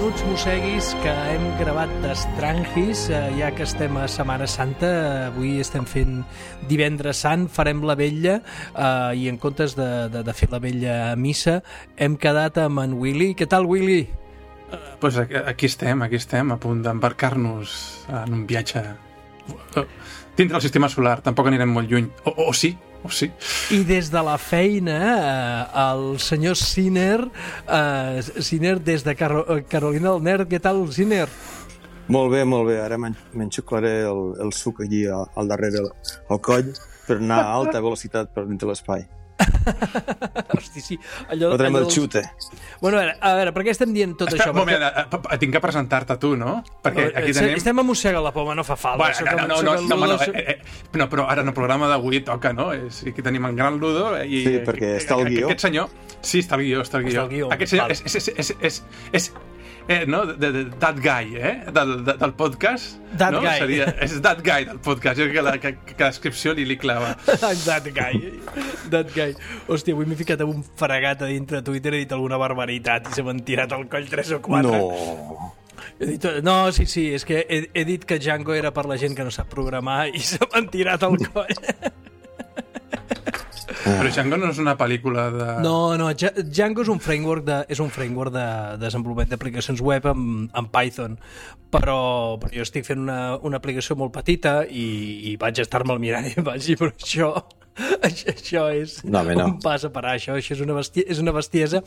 menuts mosseguis que hem gravat d'Estrangis, ja que estem a Setmana Santa. Avui estem fent Divendres Sant, farem la vetlla, i en comptes de fer la vetlla a missa hem quedat amb en Willy. Què tal, Willy? Pues aquí estem, a punt d'embarcar-nos en un viatge dintre del sistema solar. Tampoc anirem molt lluny, o sí. I des de la feina, el senyor Sinner, des de Carolina del Nord. Què tal, Sinner? Molt bé. Ara m'enxuclaré el suc allí al darrere al coll per anar a alta velocitat per dintre l'espai. Hosti, sí. Fotrem el xute. Bueno, a veure, per què estem dient tot això? Un moment, tinc que presentar-te tu, no? Perquè aquí tenim... Estem a mossegar la poma, no fa falta. No, però ara en el programa d'avui toca, no? Aquí tenim en Gran Ludo i... Sí, perquè està el guió. Aquest senyor... Sí, està el guió. Aquest senyor és no? That guy, del podcast. That guy. És that guy del podcast. Jo crec que la descripció li clava. That guy. Hòstia, avui m'he ficat amb un fregat a dintre de Twitter, he dit alguna barbaritat i se m'han tirat al coll 3 o 4. No. No, sí, és que he dit que Django era per la gent que no sap programar i se m'han tirat al coll. Però Django no és una pel·lícula de... No, Django és un framework de desenvolupament d'aplicacions web en Python, però jo estic fent una aplicació molt petita i vaig estar-me'l mirant i vaig dir, però això és un pas a parar, això és una bestiesa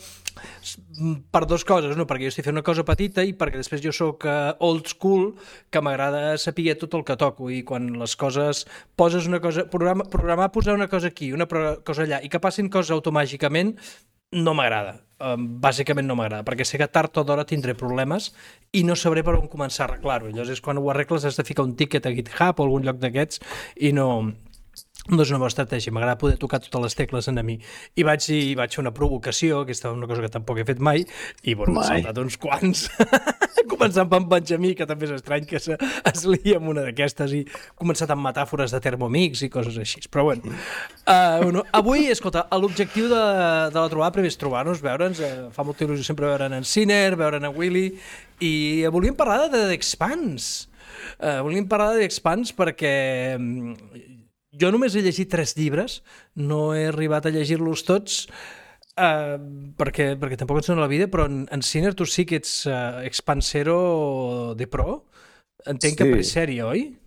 per dues coses, no? Perquè jo estic fent una cosa petita i perquè després jo soc old school, que m'agrada saber tot el que toco, i quan les coses poses una cosa, programar posar una cosa aquí, una cosa allà, i que passin coses automàticament, no m'agrada. Bàsicament no m'agrada, perquè sé que tard o d'hora tindré problemes i no sabré per on començar a arreglar-ho. Llavors és quan ho arregles has de ficar un ticket a GitHub o algun lloc d'aquests i no és una bona estratègia. M'agrada poder tocar totes les tecles en mi. I vaig fer una provocació, que és una cosa que tampoc he fet mai, i m'he saltat uns quants, començant per en Benjamí, que també és estrany que es lia amb una d'aquestes, i començat amb metàfores de Thermomix i coses així. Però bueno, avui, escolta, l'objectiu de la trobada primer és trobar-nos, veure'ns, fa molta il·lusió sempre veure'n en Sinner, veure'n en Willy, i volíem parlar de The Expanse. Volíem parlar de The Expanse perquè jo només he llegit 3 llibres, no he arribat a llegir-los tots perquè tampoc ens dona la vida, però en Sinner tu sí que ets expansero de pro. Entenc que per sèrie, oi?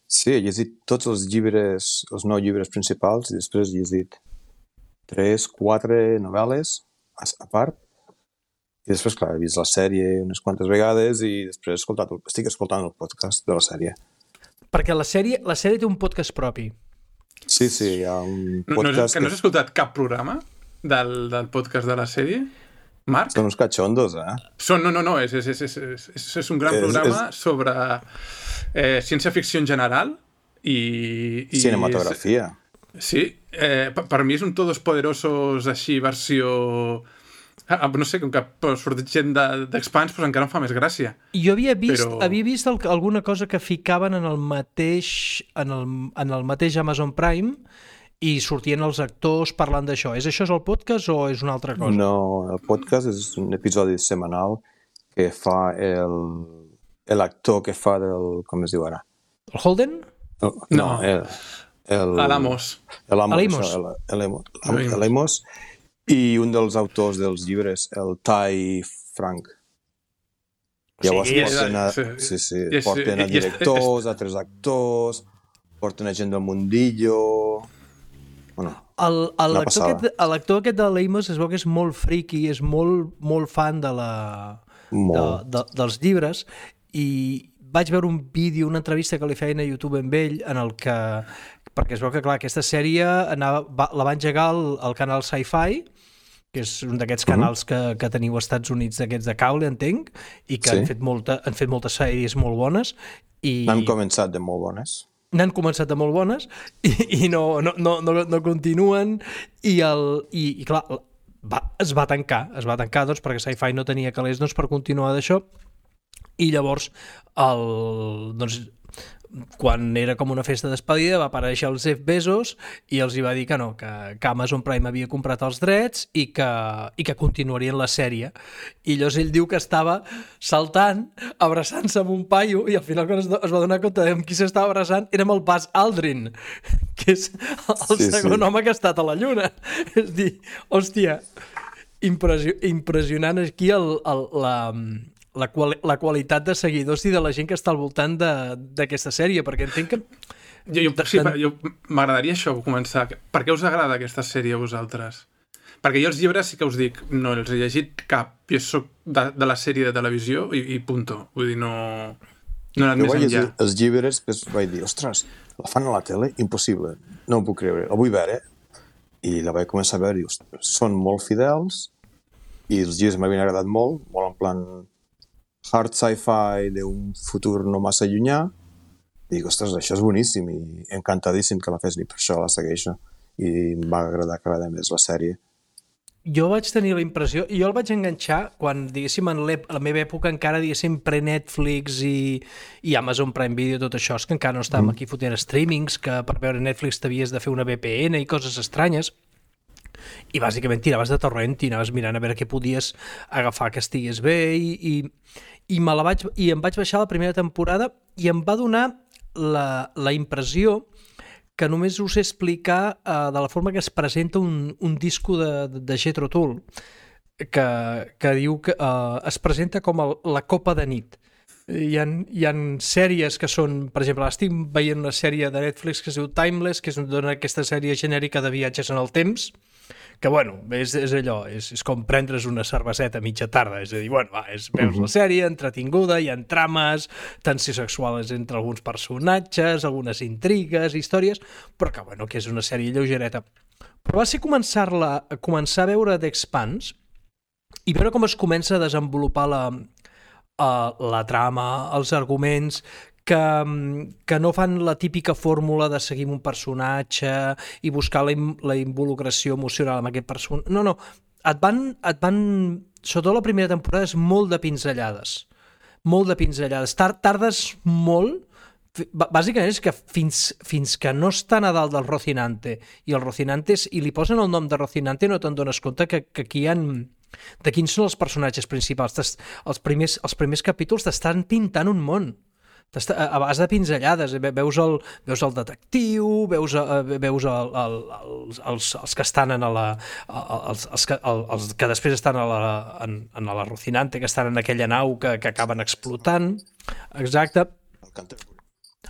Sí, he llegit tots els llibres, els 9 llibres principals, i després he llegit 3-4 novel·les a part, i després, clar, he vist la sèrie unes quantes vegades i després estic escoltant el podcast de la sèrie. Perquè la sèrie té un podcast propi. Sí, hi ha un podcast... Que no has escoltat cap programa del podcast de la sèrie, Marc? Són uns catxondos, No, és un gran programa sobre ciència-ficció en general i cinematografia. Sí, per mi és un Todos Poderosos així, versió... no sé, com que surt gent d'Expanse, doncs encara em fa més gràcia. Jo havia vist alguna cosa que ficaven en el mateix Amazon Prime i sortien els actors parlant d'això. És el podcast o és una altra cosa? No, el podcast és un episodi setmanal que fa l'actor que fa com es diu ara? El Holden? No, l'Amos. L'Amos. I un dels autors dels llibres, el Ty Frank. Llavors porten a directors, altres actors, porten a gent del mundillo... L'actor aquest de l'Amos es veu que és molt friki, és molt fan dels llibres, i vaig veure un vídeo, una entrevista que li feien a YouTube amb ell, en el que, perquè es veu que, clar, aquesta sèrie la va engegar el canal Sci-Fi, que és un d'aquests canals que teniu als Estats Units, d'aquests de cable, entenc, i que han fet moltes sèries molt bones. N'han començat de molt bones. I no continuen, i clar, es va tancar doncs, perquè Sci-Fi no tenia calés per continuar d'això, i llavors quan era com una festa despedida va aparèixer el Jeff Bezos i els hi va dir que no, que Amazon Prime havia comprat els drets i que continuarien la sèrie. I llavors ell diu que estava saltant, abraçant-se amb un paio, i al final quan es va donar compte de amb qui s'estava abraçant era amb el Buzz Aldrin, que és el segon home que ha estat a la Lluna. És dir, hòstia, impressionant aquí la qualitat de seguidors i de la gent que està al voltant d'aquesta sèrie, perquè entenc que... Jo m'agradaria això, començar. Per què us agrada aquesta sèrie a vosaltres? Perquè jo els llibres sí que us dic, no els he llegit cap. Jo soc de la sèrie de televisió i punto. Vull dir, no he anat més enllà. Els llibres, després vaig dir, ostres, la fan a la tele? Impossible. No ho puc creure. La vull veure. I la vaig començar a veure i són molt fidels i els llibres m'havien agradat molt en plan hard sci-fi d'un futur no massa llunyà. I dic, ostres, això és boníssim i encantadíssim que la fes, i per això la segueixo. I em va agradar cada vegada més la sèrie. Jo vaig tenir la impressió, i jo el vaig enganxar quan, diguéssim, en la meva època encara, diguéssim, pre-Netflix i Amazon Prime Video, tot això, és que encara no estàvem aquí fotent streamings, que per veure Netflix t'havies de fer una VPN i coses estranyes. I bàsicament tiraves de torrent i anaves mirant a veure què podies agafar que estigués bé i em vaig baixar la primera temporada i em va donar la impressió que només us sé explicar de la forma que es presenta un disco de Jethro Tull que diu que es presenta com la copa de nit. Hi ha sèries que són, per exemple, estic veient una sèrie de Netflix que es diu Timeless, que dona aquesta sèrie genèrica de viatges en el temps, que, bueno, és allò, és com prendre's una cerveseta a mitja tarda, és a dir, bueno, veus la sèrie, entretinguda, hi ha trames, tensió sexuals entre alguns personatges, algunes intrigues, històries, però que, bueno, que és una sèrie lleugereta. Però va ser començar a veure The Expanse i veure com es comença a desenvolupar la trama, els arguments, que no fan la típica fórmula de seguir un personatge i buscar la involucració emocional amb aquest personatge. No, et van... Sobretot la primera temporada és molt de pinzellades. Molt de pinzellades. Tardes molt... Bàsicament és que fins que no estan a dalt del Rocinante i el Rocinante i li posen el nom de Rocinante no te'n dones compte que aquí hi ha... de quins són els personatges principals. Els primers capítols t'estan pintant un món. A base de pinzellades, veus el detectiu, veus els que estan els que després estan a la Rocinante, que estan en aquella nau que acaben explotant. Exacte.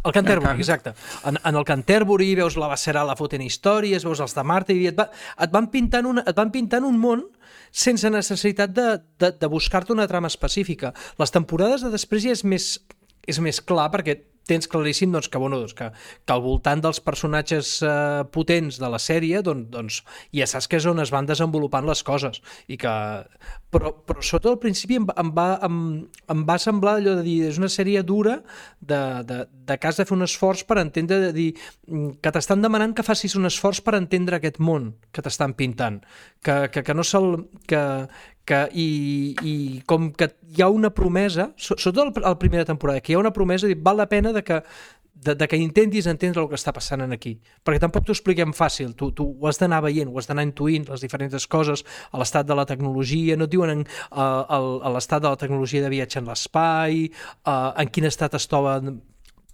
El Canterbury, exacte. En el Canterbury veus la Bacerala fotent històries, veus els de Marte i et van pintant un món sense necessitat de buscar-te una trama específica. Les temporades de després ja és més clar perquè tens claríssim que al voltant dels personatges potents de la sèrie ja saps que és on es van desenvolupant les coses i que... però sobretot al principi em va semblar allò de dir és una sèrie dura de que has de fer un esforç per entendre, de dir que t'estan demanant que facis un esforç per entendre aquest món que t'estan pintant, que no se'l... i com que hi ha una promesa, sobretot a la primera temporada, que hi ha una promesa, val la pena de que intentis entendre el que està passant aquí, perquè tampoc t'ho expliquem fàcil, tu ho has d'anar veient, ho has d'anar intuint, les diferents coses, a l'estat de la tecnologia, no et diuen a l'estat de la tecnologia de viatge en l'espai, en quin estat es troben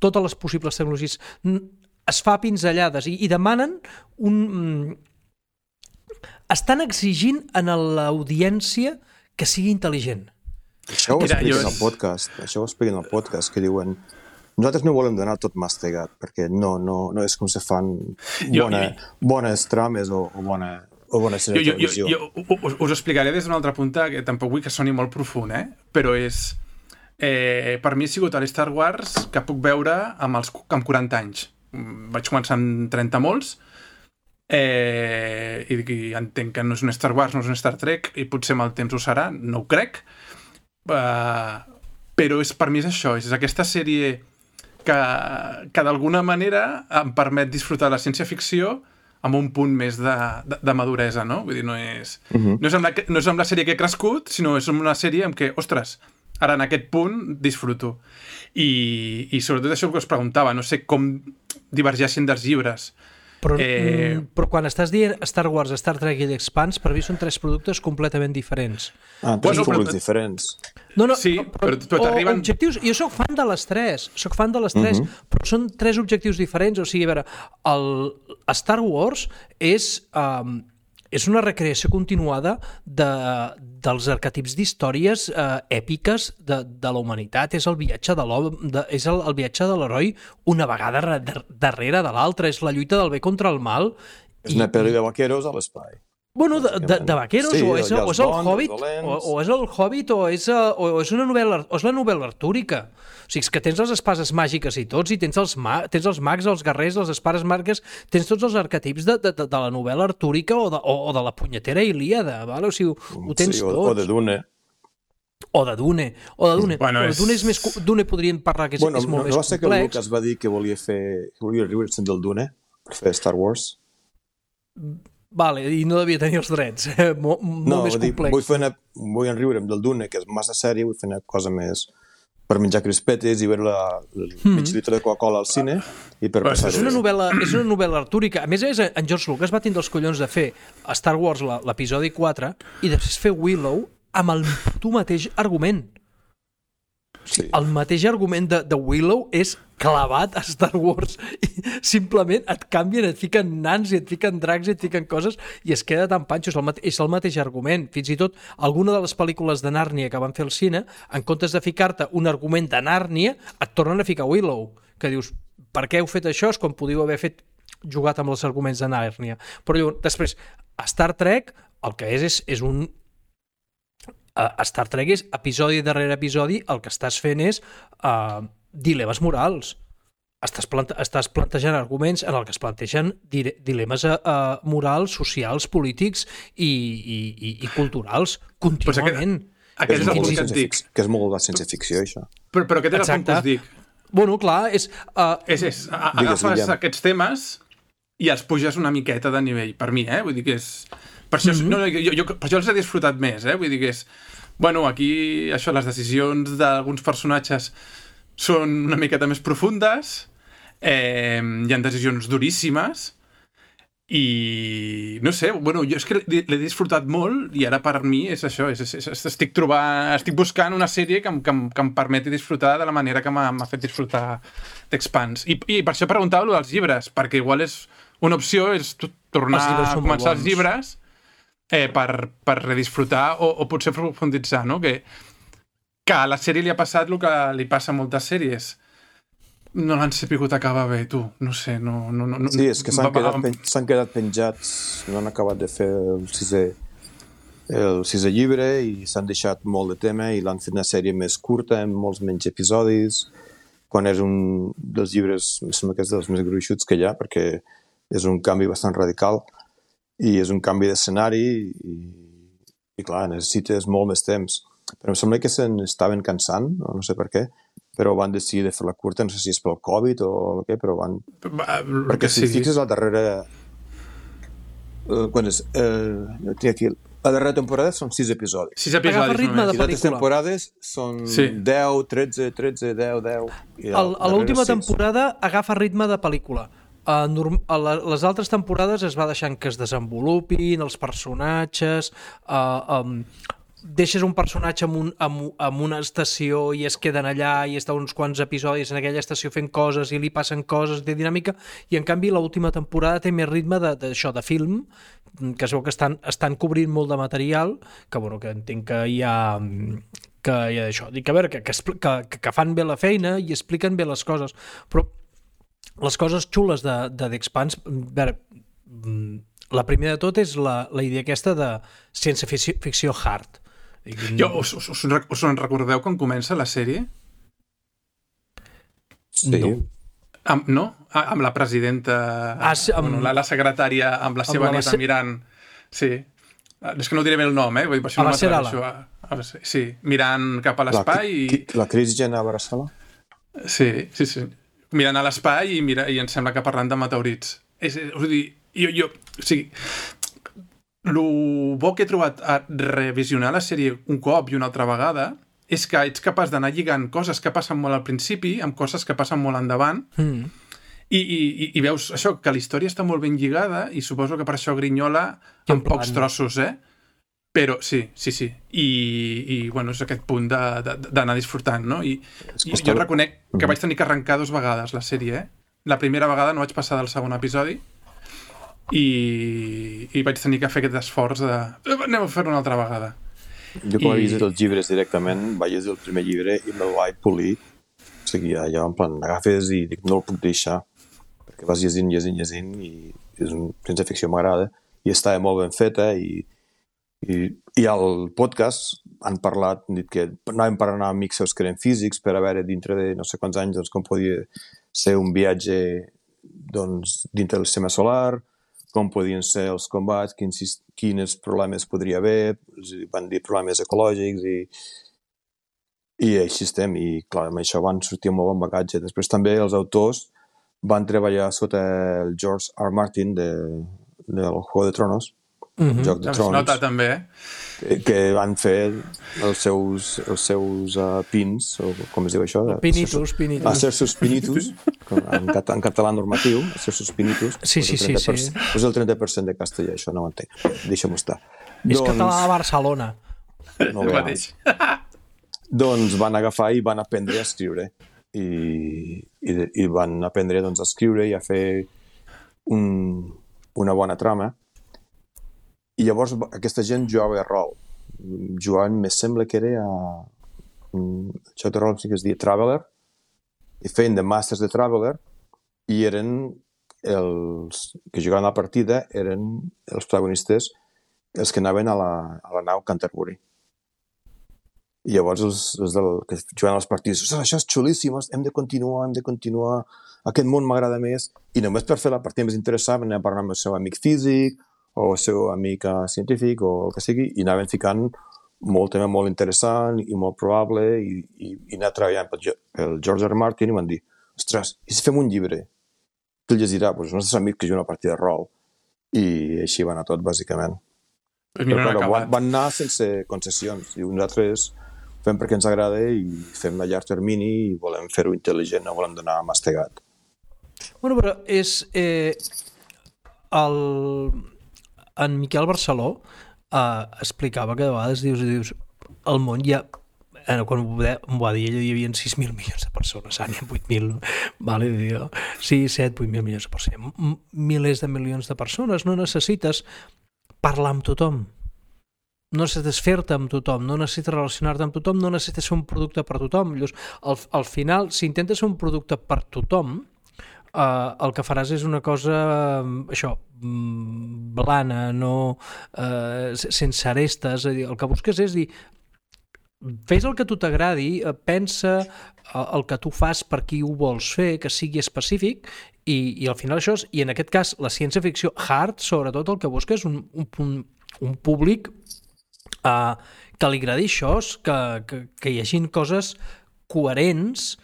totes les possibles tecnologies, es fa pinzellades i demanen estan exigint a l'audiència que sigui intel·ligent. Això ho expliquen al podcast, que diuen nosaltres no volem donar tot mastegat, perquè no és com se fan bones trames o bones sèries de televisió. Us explicaré des d'un altre punt, que tampoc vull que soni molt profund, però és... per mi ha sigut a l'Star Wars que puc veure amb 40 anys. Vaig començar amb 30 molts, i entenc que no és un Star Wars, no és un Star Trek, i potser amb el temps ho serà, no ho crec, però per mi és això, és aquesta sèrie que d'alguna manera em permet disfrutar de la ciència-ficció amb un punt més de maduresa, no? Vull dir, no és amb la sèrie que he crescut, sinó és una sèrie en què, ostres, Ara, en aquest punt, disfruto. I sobretot això que us preguntava, no sé com divergeixen dels llibres. Però quan estàs dient Star Wars, Star Trek i l'Expanse, per mi són 3 productes completament diferents. Tres productes diferents. No, sí, però t'arriben... Objectius, jo sóc fan de les 3, però són 3 objectius diferents. O sigui, a veure, el Star Wars és una recreació continuada dels arquetips d'històries èpiques de la humanitat. És el viatge de l'home, és el viatge de l'heroi una vegada darrere de l'altra. És la lluita del bé contra el mal. És una pel·li de vaqueros a l'espai. Bueno, de vaqueros, sí, o és el Hobbit, o és el Hobbit, o és la novel·la artúrica. O sigui, és que tens les espases màgiques i tots, i tens els mags, els guerrers, les espases màgiques, tens tots els arquetips de la novel·la artúrica o de la punyetera Ilíada, vale? O sigui, ho tens tots. O de Dune. O de Dune. Bueno, Dune podríem parlar que és molt més complex. No va ser que el Lucas va dir que volia riure-se'n del Dune per fer Star Wars? Vale, i no devia tenir els drets. Molt més complex. Vull enriure'm del Dune, que és massa sèrie, vull fer una cosa més per menjar crispetes i veure el mig litre de Coca-Cola al cine i per passar-ho. És una novel·la artúrica. A més, en George Lucas va tindre els collons de fer Star Wars, l'episodi 4, i després fer Willow amb el mateix argument. Sí. El mateix argument de Willow és clavat a Star Wars i simplement et canvien, et fiquen nans i et fiquen dracs i et fiquen coses i es queda tan panxo, és el mateix argument. Fins i tot alguna de les pel·lícules de Nàrnia que van fer al cine, en comptes de ficar-te un argument de Nàrnia, et tornen a ficar Willow, que dius, per què heu fet això? És quan podíeu haver jugat amb els arguments de Nàrnia. Però després, a Star Trek el que és un... A Star Trek és episodi darrere episodi, el que estàs fent és dilemes morals. Estàs plantejant arguments en el que es plantegen dilemes morals, socials, polítics i culturals contínuament. Aquest és el punt que et dic. Que és molt de ciència-ficció, això. Però aquest és el punt que us dic. Bueno, clar, és... Agafes aquests temes i els puges una miqueta de nivell, per mi, vull dir que és... Per això, per això els he disfrutat més, vull dir que és... Bueno, aquí, això, les decisions d'alguns personatges són una miqueta més profundes, hi ha decisions duríssimes, i no sé, bueno, jo és que l'he disfrutat molt i ara per mi és això, estic buscant una sèrie que em permeti disfrutar de la manera que m'ha fet disfrutar d'Expanse. I per això preguntava-lo dels llibres, perquè igual és una opció és tornar a començar els llibres per redisfrutar o potser profunditzar, no? Que a la sèrie li ha passat el que li passa a moltes sèries. No l'han sapigut acabar bé, tu. No sé, no... Sí, és que s'han quedat penjats, no han acabat de fer el sisè llibre i s'han deixat molt de tema i l'han fet una sèrie més curta, amb molts menys episodis, quan és un dels llibres, em sembla que és dels més gruixuts que hi ha, perquè és un canvi bastant radical i és un canvi d'escenari i clar, necessites molt més temps. Però em sembla que se n'estaven cansant, no sé per què, però van decidir de fer-la curta, no sé si és pel Covid o què, però van... Perquè si fixes la darrera... Quan és? Tinc aquí... La darrera temporada són 6 episodis. 6 episodis només. I les temporades són 10, 13, 10... A l'última temporada agafa ritme de pel·lícula. Les altres temporades es va deixant que es desenvolupin els personatges, deixes un personatge en una estació i es queden allà i està uns quants episodis en aquella estació fent coses i li passen coses de dinàmica, i en canvi l'última temporada té més ritme d'això, de film, que es veu que estan cobrint molt de material, que bueno, que entenc que hi ha això, dic, a veure, que fan bé la feina i expliquen bé les coses, però les coses xules de d'Expanse, la primera de tot és la idea aquesta de ciència-ficció hard. Us en recordeu quan comença la sèrie? Sí. No? Amb la presidenta, la secretària, amb la seva neta mirant... Sí. És que no diré bé el nom, vull dir, per això no m'atreveixo. Sí, mirant cap a l'espai. La Kris Jenner Abraçala? Sí. Mirant a l'espai i em sembla que parlant de meteorits. El bo que he trobat a revisionar la sèrie un cop i una altra vegada és que ets capaç d'anar lligant coses que passen molt al principi amb coses que passen molt endavant i veus això, que la història està molt ben lligada i suposo que per això grinyola en pocs trossos, però sí. I bueno, és aquest punt d'anar disfrutant, no? I jo reconec que vaig tenir que arrencar 2 vegades la sèrie, La primera vegada no vaig passar del segon episodi i vaig tenir que fer aquest esforç de anem a fer-ho una altra vegada. Jo com he vist els llibres directament, vaig llegir el primer llibre i me'l vaig polir. O sigui, allò en plan, agafes i dic, no el puc deixar, perquè vas llegint i és una ciència-ficció m'agrada i estava molt ben feta i al podcast han parlat, han dit que anàvem per anar amb amics seus que eren físics per a veure dintre de no sé quants anys doncs, com podia ser un viatge doncs, dintre del sistema solar, com podien ser els combats, quins problemes podria haver, van dir problemes ecològics i així estem. I clar, amb això van sortir molt bon bagatge. Després també els autors van treballar sota el George R. Martin del Juego de Tronos, Joc de Trons, nota també, que van fer els seus pins, o com es diu això? Pinitus. Acersus pinitus, en català normatiu, acersus pinitus. Sí. Pues el 30% de castellà, això no ho entenc. Deixa'm estar. És català de Barcelona. No veus. Doncs van agafar i van aprendre a escriure. I van aprendre doncs, a escriure i a fer una bona trama. I llavors aquesta gent jugava a rol. Jugaven, me sembla que era el joc de rol sí que es deia Traveler, i feien de masters de Traveler, i eren els que jugaven a la partida, eren els protagonistes, els que anaven a la nau Canterbury. I llavors els que jugaven a les partides, això és xulíssim, hem de continuar, aquest món m'agrada més, i només per fer la partida més interessant anem a parlar amb el seu amic físic, o el seu amic científic, o el que sigui, i anaven ficant molt tema molt interessant i molt probable, i anar treballant pel George R. Martin, i van dir, ostres, i si fem un llibre? Qui el llegirà? Doncs els nostres amics que juguen una partida de rol. I així va anar tot, bàsicament. Però van anar sense concessions, i nosaltres fem perquè ens agrada i fem a llarg termini i volem fer-ho intel·ligent, no volem donar mastegat. Bueno, però és... En Miquel Barceló explicava que de vegades dius el món ja, quan m'ho va dir ell, hi havia 6.000 milions de persones, ara n'hi ha 8.000, vale? 6, 7, 8.000 milions de persones, milers de milions de persones, no necessites parlar amb tothom, no necessites fer-te amb tothom, no necessites relacionar-te amb tothom, no necessites ser un producte per tothom. Al final, si intentes ser un producte per tothom, el que faràs és una cosa això, blana, no sense arestes. El que busques és dir, fes el que tu t'agradi, pensa el que tu fas per qui ho vols fer, que sigui específic, i al final això és, i en aquest cas la ciència-ficció hard, sobretot el que busca és un públic que li agradi això, que hi hagin coses coherents,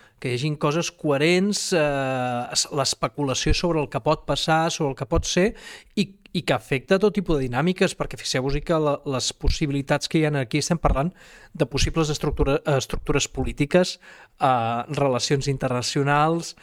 l'especulació sobre el que pot passar, sobre el que pot ser, i que afecta tot tipus de dinàmiques, perquè fixeu-vos que les possibilitats que hi ha aquí, estem parlant de possibles estructures polítiques, relacions internacionals,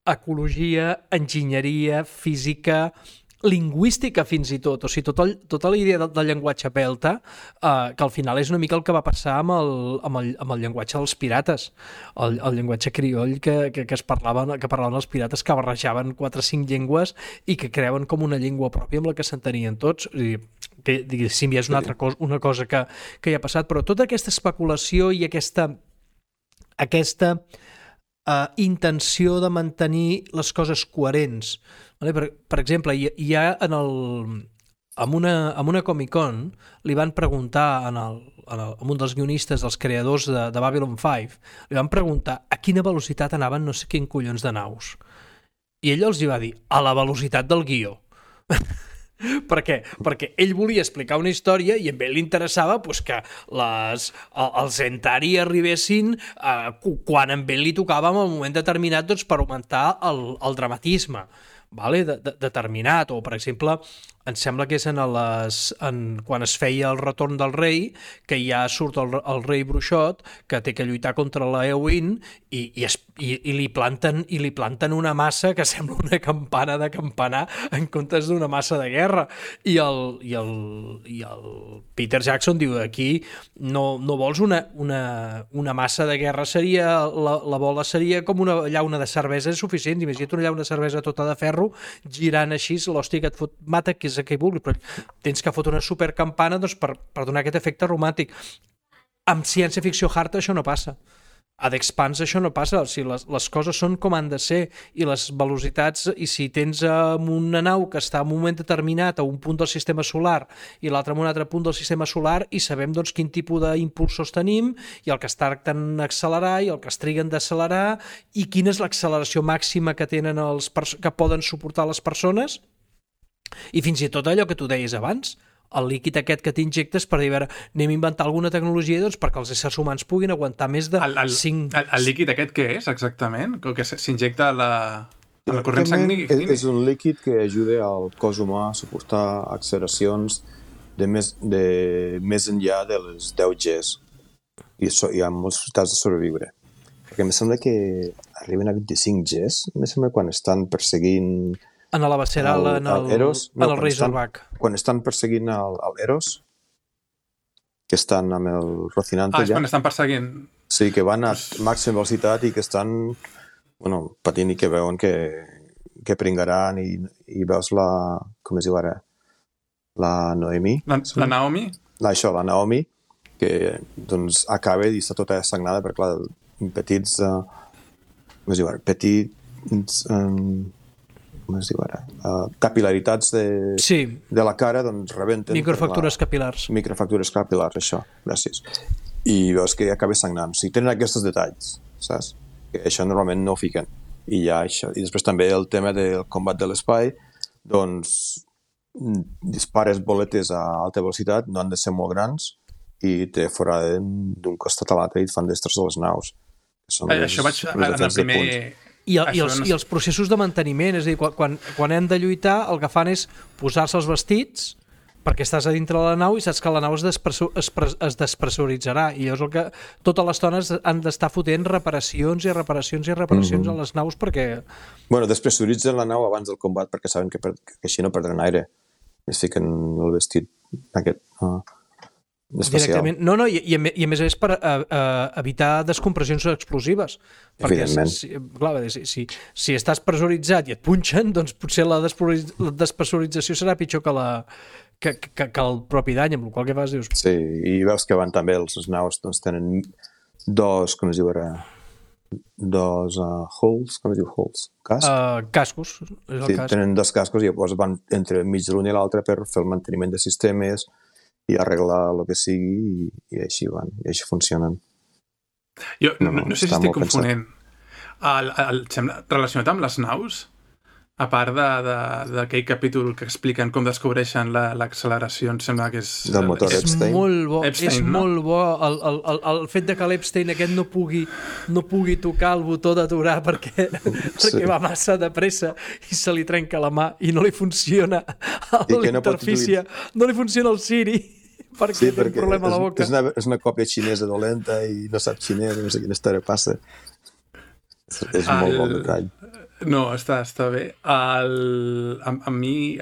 ecologia, enginyeria, física, lingüística fins i tot, o sigui, tota la idea del llenguatge pelta, que al final és una mica el que va passar amb el llenguatge dels pirates, el llenguatge crioll que parlaven els pirates, que barrejaven 4 o 5 llengües i que creuen com una llengua pròpia amb la que s'entenien tots. Que diguéssim, ja és una cosa que hi ha passat, però tota aquesta especulació i aquesta intenció de mantenir les coses coherents. Per exemple, hi ha en una Comic-Con li van preguntar a un dels guionistes, dels creadors de Babylon 5, li van preguntar a quina velocitat anaven no sé quin collons de naus. I ell els hi va dir, a la velocitat del guió. Per què? Perquè ell volia explicar una història i a ell li interessava que els Centauri arribessin quan a ell li tocava en el moment determinat per augmentar el dramatisme. vale? Determinat, o per exemple em sembla que és quan es feia el retorn del rei, que ja surt el rei bruixot que té que lluitar contra la Éowyn i li planten una massa que sembla una campana de campanar en comptes d'una massa de guerra, i el Peter Jackson diu aquí no vols una massa de guerra, seria la bola seria com una llauna de cervesa suficient. Imagina't una llauna de cervesa tota de ferro girant així, l'hòstia que et fot mata, que és el que vulgui, però tens que fotre una supercampana doncs, per donar aquest efecte romàntic. Amb ciència-ficció hard això no passa. A The Expanse això no passa. O sigui, les coses són com han de ser, i les velocitats, i si tens una nau que està en un moment determinat a un punt del sistema solar i l'altre en un altre punt del sistema solar, i sabem doncs, quin tipus d'impulsors tenim, i el que es tracten d'accelerar i el que es triguen d'accelerar, i quina és l'acceleració màxima que tenen que poden suportar les persones, i fins i tot allò que tu deies abans, el líquid aquest que t'injectes per dir, a veure, anem a inventar alguna tecnologia doncs, perquè els éssers humans puguin aguantar més de 5... El líquid aquest què és, exactament? Que s'injecta a la corrent sanguínia? És un líquid que ajuda al cos humà a suportar acceleracions de més enllà de les 10 Gs. I hi ha molts resultats de sobreviure. Perquè em sembla que arriben a 25 Gs, em sembla quan estan perseguint... En la Baceral, en el Rei Zorbac. Quan estan perseguint el Eros, que estan amb el Rocinante ja. Quan estan perseguint. Sí, que van a màxima velocitat i que estan patint i que veuen que pringaran i veus com es diu ara? La Noemi. La Naomi? La Naomi, que doncs acaba i està tota sagnada perquè clar, petits com es diu ara? Petits... com es diu ara, capilaritats de la cara, doncs rebenten. Microfractures capilars. Microfractures capilars, això, gràcies. I veus que acaba sangnant. O sigui, tenen aquests detalls, saps? Que això normalment no ho fiquen. I ja això. I després també el tema del combat de l'espai, doncs dispares boletes a alta velocitat, no han de ser molt grans, i te foraden d'un costat a l'altre i et fan destrossar les naus. Això vaig en el primer... I els processos de manteniment, és a dir, quan hem de lluitar, el que fan és posar-se els vestits perquè estàs a dintre de la nau i saps que la nau es despressuritzarà, i llavors el que tota l'estona han d'estar fotent reparacions i reparacions i reparacions a les naus perquè... Bueno, despressuritzen la nau abans del combat perquè saben que així no perdran aire. Es fiquen el vestit aquest... directament. No, i a més és per evitar descompressions explosives, perquè si estàs pressuritzat i et punxen, doncs potser la despressurització serà pitjor que el propi dany, amb el qual que fas dius... Sí, i veus que van també els naus doncs tenen dos, com es diu ara, dos hulls, com es diu hulls? Cascos. Sí, tenen dos cascos i llavors van entre mig de l'un i l'altre per fer el manteniment de sistemes i arreglar el que sigui, i així van, i així funcionen. Jo no sé si estic confonent. Relacionat amb les naus, a part d'aquell capítol que expliquen com descobreixen l'acceleració, em sembla que és... Del motor Epstein. Molt bo, Epstein, és molt bo el fet de que l'Epstein aquest no pugui tocar el botó d'aturar perquè va massa de pressa i se li trenca la mà i no li funciona l'interfície, no li funciona el Siri perquè té un problema a la boca. És una còpia xinesa dolenta i no sap xinès, no sé quina història passa. És molt bon detall. No, està bé. A mi,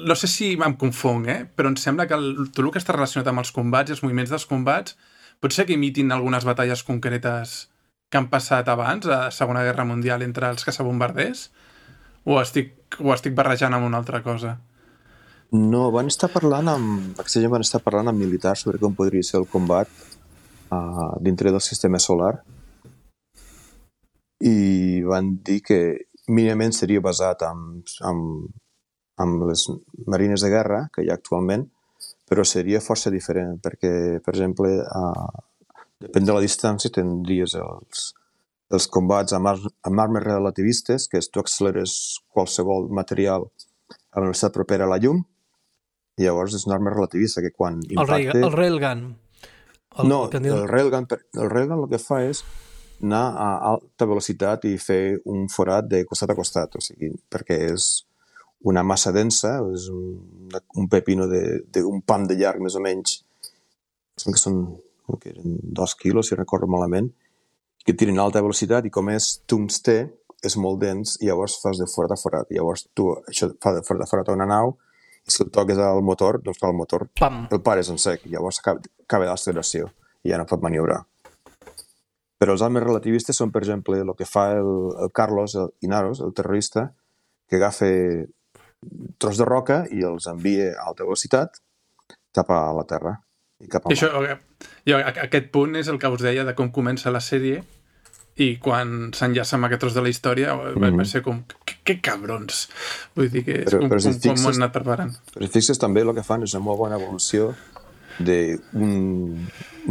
no sé si em confong, però em sembla que tot el que està relacionat amb els combats i els moviments dels combats pot ser que imitin algunes batalles concretes que han passat abans, a la Segona Guerra Mundial, entre els caçabombarders? O estic barrejant amb una altra cosa? No, van estar parlant amb militars sobre com podria ser el combat dintre del sistema solar, i van dir que mínimament seria basat amb les marines de guerra que hi ha actualment, però seria força diferent, perquè, per exemple, depèn de la distància, tindries els combats amb armes relativistes, que és tu acceleres qualsevol material a la velocitat propera a la llum, i llavors és una arma relativista que quan impacte... El railgun. El railgun el que fa és anar a alta velocitat i fer un forat de costat a costat, o sigui, perquè és una massa densa, és un pepino d'un pam de llarg, més o menys, que eren 2 quilos, si recordo malament, que tiren a alta velocitat i com és tungstè, és molt dens i llavors fas de forat a forat. Llavors tu això fa de forat a una nau i si el toques al motor, doncs el motor el pares en sec. Llavors acaba l'acceleració i ja no pot maniobrar. Però els altres relativistes són, per exemple, el que fa el Carlos Inaros, el terrorista, que agafa tros de roca i els envia a alta velocitat cap a la Terra. I cap a aquest punt és el que us deia de com comença la sèrie i quan s'enllaça amb aquest tros de la història va ser com, que cabrons, vull dir que és com m'ho han anat preparant. Però si fixes també el que fan és una molt bona evolució d'un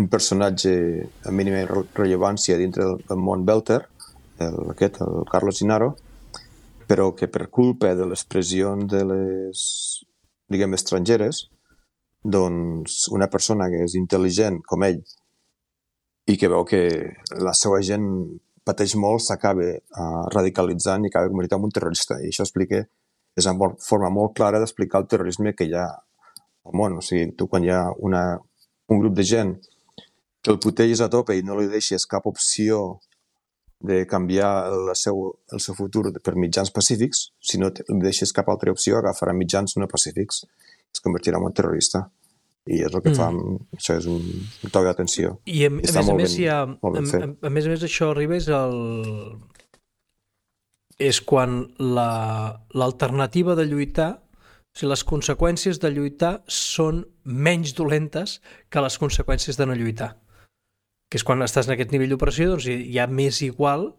personatge amb mínima rellevància dintre del món Belter, el Carlos Inaro, però que per culpa de les pressions de les, diguem, estrangeres, doncs una persona que és intel·ligent com ell i que veu que la seva gent pateix molt, s'acaba radicalitzant i acaba convertint en un terrorista. I això explica, és una forma molt clara d'explicar el terrorisme que hi ha al món. O sigui, tu quan hi ha un grup de gent que el puteges a tope i no li deixes cap opció de canviar el seu futur per mitjans pacífics, si no li deixes cap altra opció, agafarà mitjans no pacífics, es convertirà en un terrorista. I és el que fa, això és un toc d'atenció. I a més a més això arriba és quan l'alternativa de lluitar, o sigui, les conseqüències de lluitar són menys dolentes que les conseqüències de no lluitar. Que és quan estàs en aquest nivell d'operació, doncs hi ha més igual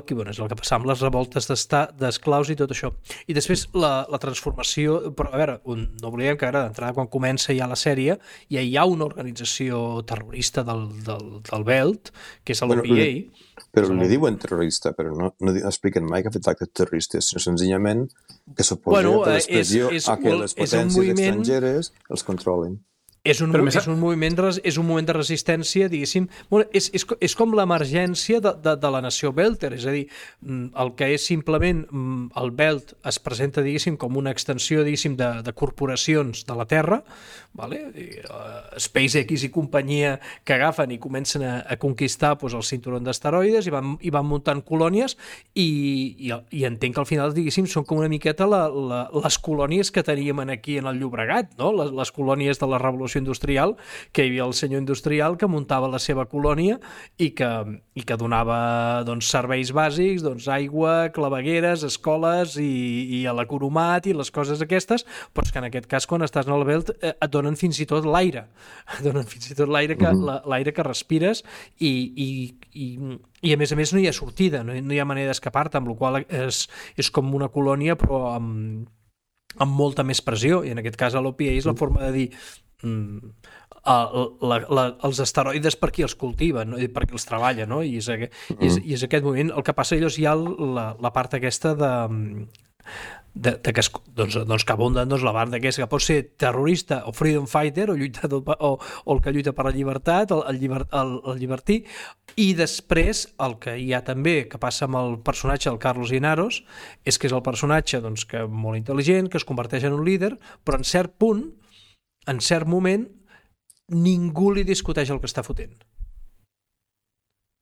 que, bueno, és el que passa amb les revoltes d'esclaus i tot això. I després la transformació, però a veure, no oblidem que ara d'entrada quan comença ja la sèrie, ja hi ha una organització terrorista del Belt, que és l'OPA. Però li diuen terrorista, però no expliquen mai que ha fet actes terroristes, sinó senzillament que suposa per l'expressió a que les potències estrangeres els controlin. És un moment de resistència, diguéssim. És com l'emergència de la nació Belter, és a dir, el que és simplement el Belt es presenta, diguéssim, com una extensió, diguéssim, de corporacions de la Terra, vale? SpaceX i companyia que agafen i comencen a conquistar doncs, el cinturó d'asteroides i van muntant colònies i entenc que al final, diguéssim, són com una miqueta les colònies que teníem aquí en el Llobregat, no? Les colònies de la Revolució Industrial, que hi havia el senyor industrial que muntava la seva colònia i que donava doncs, serveis bàsics, doncs, aigua, clavegueres, escoles i a l'economat i les coses aquestes, però és que en aquest cas quan estàs en el Belt et donen fins i tot l'aire. Et donen fins i tot l'aire que respires i a més no hi ha sortida, no hi ha manera d'escapar-te, amb la qual és com una colònia però amb molta més pressió, i en aquest cas a l'OPA és la forma de dir els asteroides per qui els cultiva, no? Per qui els treballa, no? I és aquest moment. El que passa llavors hi ha la part aquesta que abunden la banda aquesta que pot ser terrorista o freedom fighter o el que lluita per la llibertat, el llibertí, i després el que hi ha també que passa amb el personatge del Carlos Inaros és que és el personatge doncs, que molt intel·ligent, que es converteix en un líder, però en cert punt, en cert moment, ningú li discuteix el que està fotent.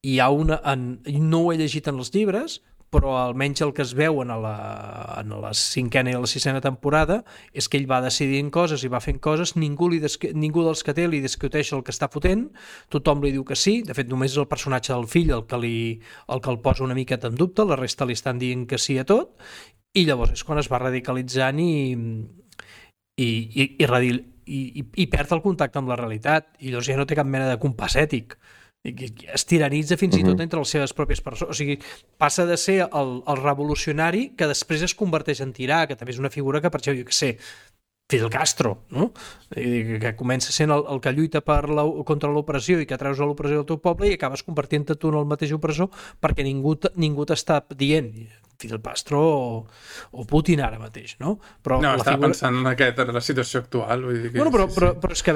No ho he llegit en els llibres, però almenys el que es veu en la 5a i la 6a temporada és que ell va decidint coses i va fent coses, ningú dels que té li discuteix el que està fotent, tothom li diu que sí, de fet només és el personatge del fill el que el posa una miqueta en dubte, la resta li estan dient que sí a tot, i llavors és quan es va radicalitzant i perd el contacte amb la realitat, i llavors ja no té cap mena de compàs ètic. Es tiranitza fins i tot entre les seves pròpies persones. O sigui, passa de ser el revolucionari que després es converteix en tirà, que també és una figura que, per exemple, jo què sé, Fidel Castro, no? Que comença sent el que lluita contra l'opressió i que treus a l'opressió del teu poble i acabes convertint-te tu en el mateix opressor perquè ningú t'està dient Fidel Castro o Putin ara mateix, no? Però no, estava pensant en la situació actual. Vull dir que però és que a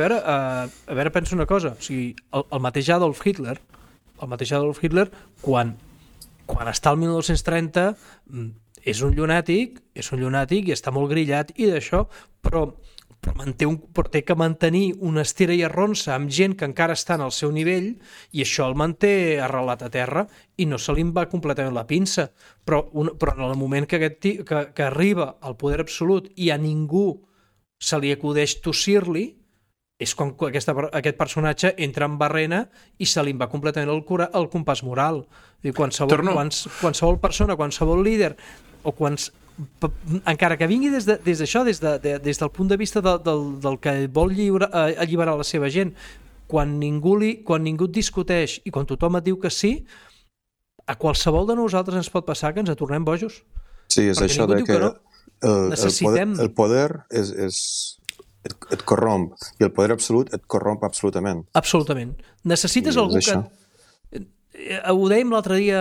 veure, penso una cosa, o sigui, el mateix Adolf Hitler el mateix Adolf Hitler, quan està al 1930 és un llunàtic i està molt grillat i d'això, però té que mantenir una estira i arronsa amb gent que encara està al seu nivell i això el manté arrelat a terra i no se li va completament la pinça. Però en el moment que arriba al poder absolut i a ningú se li acudeix tossir-li, és quan aquest personatge entra en barrena i se li va completament el compàs moral. Qualsevol persona, qualsevol líder, o encara que vingui des d'això, des del punt de vista del que vol alliberar la seva gent, quan ningú et discuteix i quan tothom et diu que sí, a qualsevol de nosaltres ens pot passar que ens tornem bojos. Sí, és això de que el poder et corromp i el poder absolut et corromp absolutament. Absolutament. Necessites algú que... Ho dèiem l'altre dia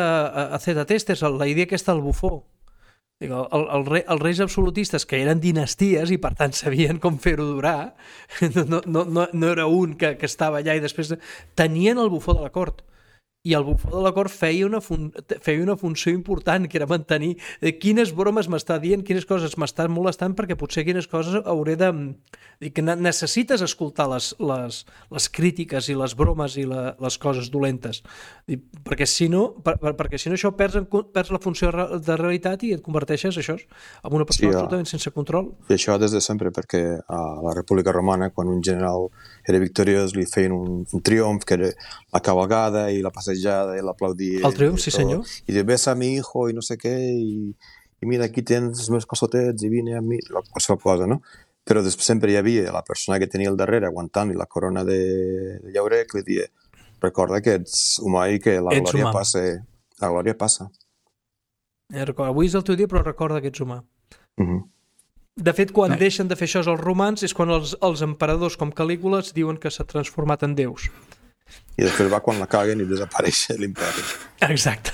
a Zeta Testers, la idea aquesta del bufó. Els reis absolutistes, que eren dinasties i per tant sabien com fer-ho durar, no era un que estava allà i després tenien el bufó de la cort, i el bufó de la cort feia una funció important, que era mantenir quines bromes m'està dient, quines coses m'estan molestant, perquè potser quines coses hauré de... que necessites escoltar les crítiques i les bromes i les coses dolentes, perquè si no això perds la funció de realitat i et converteixes això en una persona absolutament sense control. I això des de sempre, perquè a la República Romana, quan un general era victoriós, li feien un triomf, que era la cabalgada i la passejada i l'aplaudia. El triomf, sí senyor. I de besa a mi hijo i no sé què, i mira, aquí tens els meus calçotets i vine a mi, qualsevol cosa, no? Però després sempre hi havia la persona que tenia al darrere aguantant-li la corona de llaurer, que li dia, recorda que ets humà i que la glòria passa. La glòria passa. Avui és el teu dia, però recorda que ets humà. De fet, quan deixen de fer això els romans és quan els emperadors com Calígula diuen que s'ha transformat en déus. I després va quan la caguen i desapareix l'imperi. Exacte.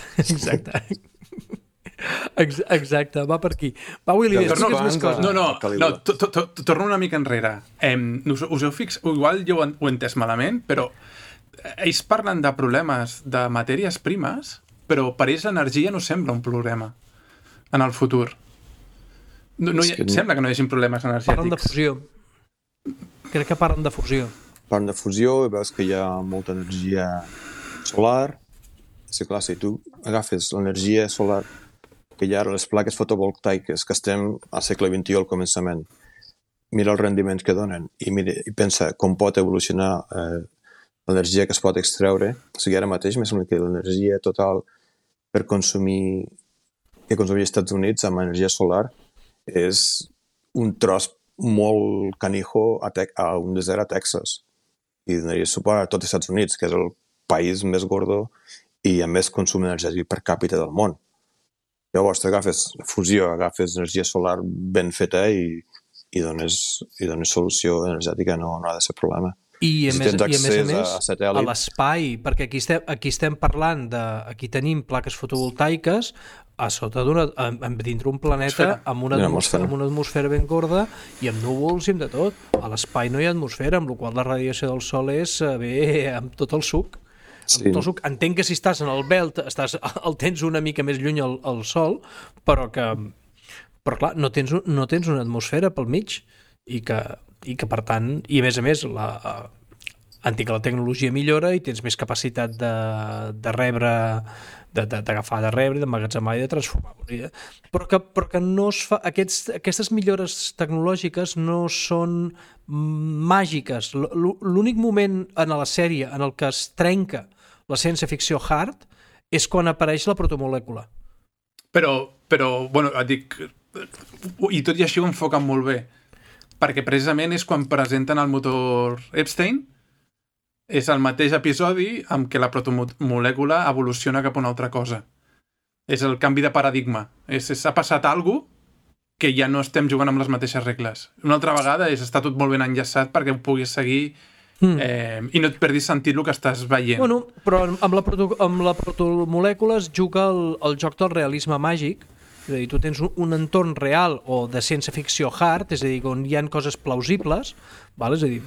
Exacte, va per aquí. Va, Willy, expliques més coses. No, torno una mica enrere. Us heu fixat, igual jo ho he entès malament, però ells parlen de problemes de matèries primes, però per ells l'energia no sembla un problema en el futur. Sembla que no hi hagi problemes energètics. Parlen de fusió. Crec que parlen de fusió. Parlen de fusió i veus que hi ha molta energia solar. Sí, clar, si tu agafes l'energia solar que hi ha a les plaques fotovoltaiques que estem al segle XXI al començament, mira els rendiments que donen i pensa com pot evolucionar l'energia que es pot extreure. O sigui, ara mateix me sembla que l'energia total que consumia als Estats Units amb energia solar és un tros molt canijo a un desert a Texas i donaria suport a tot els Estats Units, que és el país més gordo i amb més consum energètic per càpita del món. Llavors agafes fusió, agafes energia solar ben feta i dones solució energètica, no ha de ser problema. I a més a l'espai, perquè aquí estem parlant aquí tenim plaques fotovoltaiques a sota dintre un planeta amb una atmosfera ben gorda i amb núvols i amb de tot. A l'espai no hi ha atmosfera, amb la qual la radiació del sol és amb tot el suc. Sí. Entenc que si estàs en el belt el tens una mica més lluny al sol, però clar, no tens una atmosfera pel mig i que per tant, i a més entenc que la tecnologia millora i tens més capacitat de rebre, d'agafar, de rebre, d'emmagatzemar i de transformar. Però que no es fa, aquestes millores tecnològiques no són màgiques. L'únic moment en la sèrie en el que es trenca la ciència-ficció hard és quan apareix la protomolècula. Però bueno, et dic, i tot i així ho enfoquen molt bé, perquè precisament és quan presenten el motor Epstein, és el mateix episodi amb què la protomolècula evoluciona cap a una altra cosa. És el canvi de paradigma. S'ha passat alguna cosa que ja no estem jugant amb les mateixes regles. Una altra vegada està tot molt ben enllaçat perquè ho puguis seguir i no et perdis sentit el que estàs veient. Bueno, però amb la protomolècula es juga el joc del realisme màgic. És a dir, tu tens un entorn real o de ciència-ficció hard, és a dir, on hi ha coses plausibles, Vale? És a dir,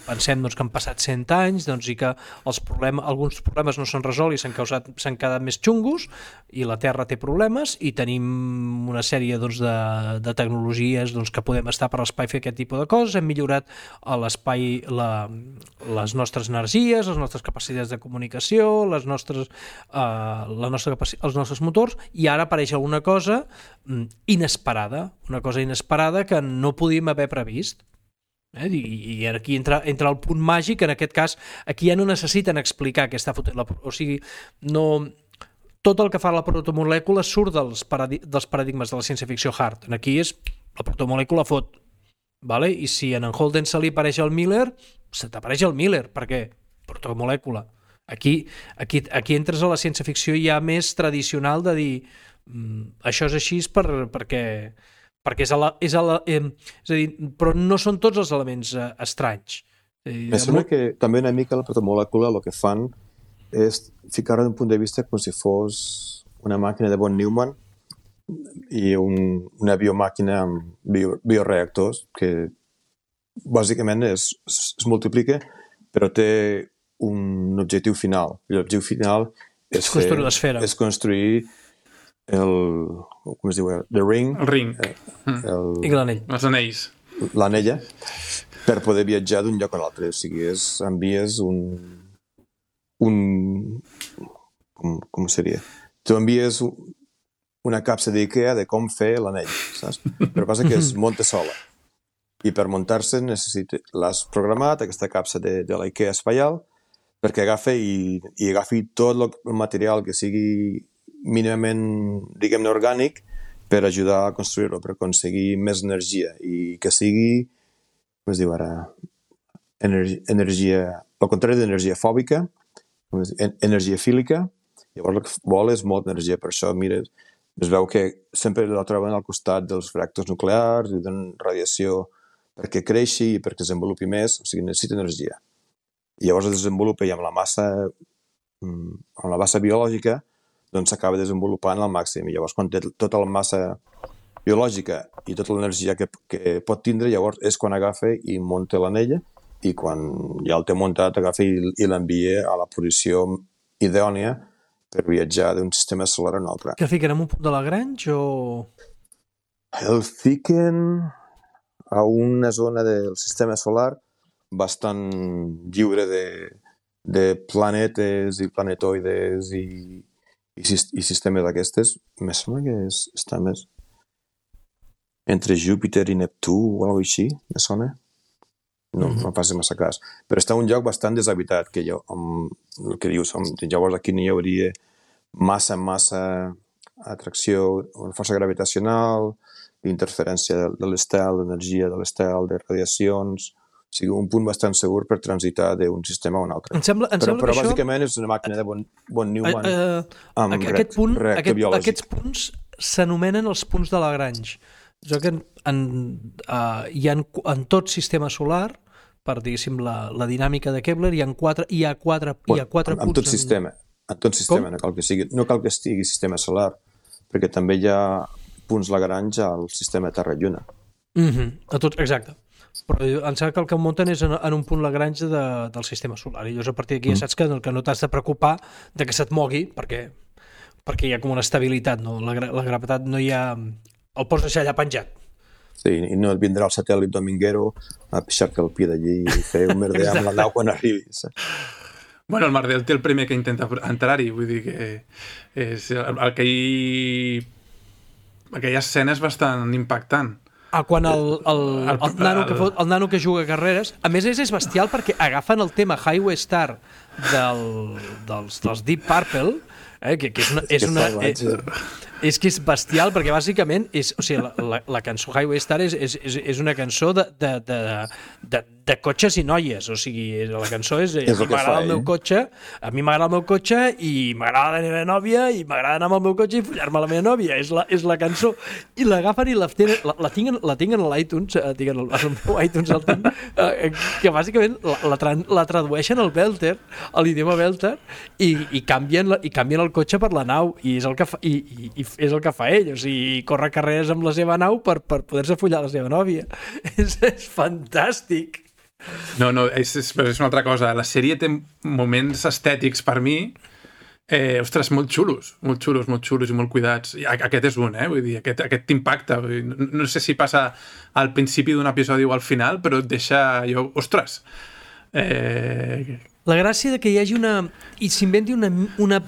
pensem doncs, que han passat 100 anys doncs, i que alguns problemes no s'han resolt i s'han quedat més xungos i la Terra té problemes i tenim una sèrie doncs, de tecnologies doncs, que podem estar per l'espai fer aquest tipus de coses, hem millorat a l'espai les nostres energies, les nostres capacitats de comunicació, els nostres motors, i ara apareix alguna cosa inesperada, una cosa inesperada que no podíem haver previst. I aquí entra el punt màgic. En aquest cas aquí ja no necessiten explicar què està fotent o sigui, no, tot el que fa la protomolècula surt dels paradigmes de la ciència-ficció hard. Aquí és la protomolècula fot, vale? I si en Holden se li apareix el Miller, se t'apareix el Miller, per què? Protomolècula. Aquí entres a la ciència-ficció ja més tradicional de dir això és així perquè és a dir, però no són tots els elements estranys. Me sembla que també una mica la protomolècula el que fan és ficar-ho d'un punt de vista com si fos una màquina de von Neumann i una biomàquina amb bioreactors que bàsicament es multiplica però té un objectiu final. I l'objectiu final és construir com es diu? The ring. El ring. I l'anell. Els anells. L'anella, per poder viatjar d'un lloc a l'altre. O sigui, envies com seria? Tu envies una capsa d'IKEA de com fer l'anell, saps? Però passa que es munta sola. I per muntar-se l'has programat, aquesta capsa de l'IKEA espaial, perquè agafi tot el material que sigui mínimament, diguem-ne, orgànic per ajudar a construir-lo, per aconseguir més energia i que sigui, com es diu ara, energia, al contrari d'energia fòbica, energia fílica. Llavors el que vol és molta energia, per això, mira, es veu que sempre la troben al costat dels reactors nuclears i donen radiació perquè creixi i perquè es desenvolupi més, o sigui, necessita energia. I llavors es desenvolupa i amb la massa biològica doncs s'acaba desenvolupant al màxim. I llavors, quan té tota la massa biològica i tota l'energia que pot tindre, llavors és quan agafa i munta l'anella i quan ja el té muntat agafa i l'envia a la posició idònia per viatjar d'un sistema solar a un altre. Que fiquen en un punt de Lagrange o...? El fiquen a una zona del sistema solar bastant lliure de planetes i planetoides i sistemes d'aquestes. Me sembla que està més entre Júpiter i Neptú o alguna cosa així, me sona. No faci massa cas. Però està un lloc bastant deshabitat, que el que dius, llavors aquí no hi hauria massa atracció, força gravitacional, interferència de l'estel, d'energia de l'estel, de radiacions... O sigui, un punt bastant segur per transitar d'un sistema a un altre. Però bàsicament és una màquina de von Neumann amb reactor biològic. Aquests punts s'anomenen els punts de Lagrange. Jo que hi ha en tot sistema solar, per, diguéssim, la dinàmica de Kepler, hi ha quatre punts... En tot sistema, no cal que estigui sistema solar, perquè també hi ha punts Lagrange al sistema Terra-Lluna. Exacte. Però em sembla que el que munten és en un punt Lagrange del sistema solar i llavors a partir d'aquí ja saps que no t'has de preocupar de que se't mogui perquè hi ha com una estabilitat, no? La gravetat no hi ha... El pots deixar allà penjat. Sí, i no et vindrà el satèl·lit Dominguero a pixar-te el pie d'allí i fer un merder amb la nau quan arribis. Bueno, el Mardel té el primer que intenta entrar-hi, vull dir que és aquella escena és bastant impactant. Quan el nano que juga a carreres, a més és bestial perquè agafen el tema Highway Star dels Deep Purple, que és que és bestial perquè bàsicament la cançó Highway Star és una cançó de cotxes i noies, o sigui, la cançó és a mi m'agrada el meu cotxe i m'agrada la meva nòvia i m'agrada anar amb el meu cotxe i follar-me la meva nòvia, és la cançó, i l'agafen i la tinc en l'iTunes, al meu iTunes el tinc, que bàsicament la tradueixen al Belter, a l'idioma Belter, i canvien el cotxe per la nau, i és el que fa ell, o sigui, corre carreres amb la seva nau per poder-se follar la seva nòvia. És fantàstic. No, és una altra cosa. La sèrie té moments estètics per mi, ostres, molt xulos i molt cuidats. I aquest és un, vull dir, aquest t'impacta. No sé si passa al principi d'un episodi o al final, però et deixa allò, ostres. La gràcia de que hi hagi i s'inventi una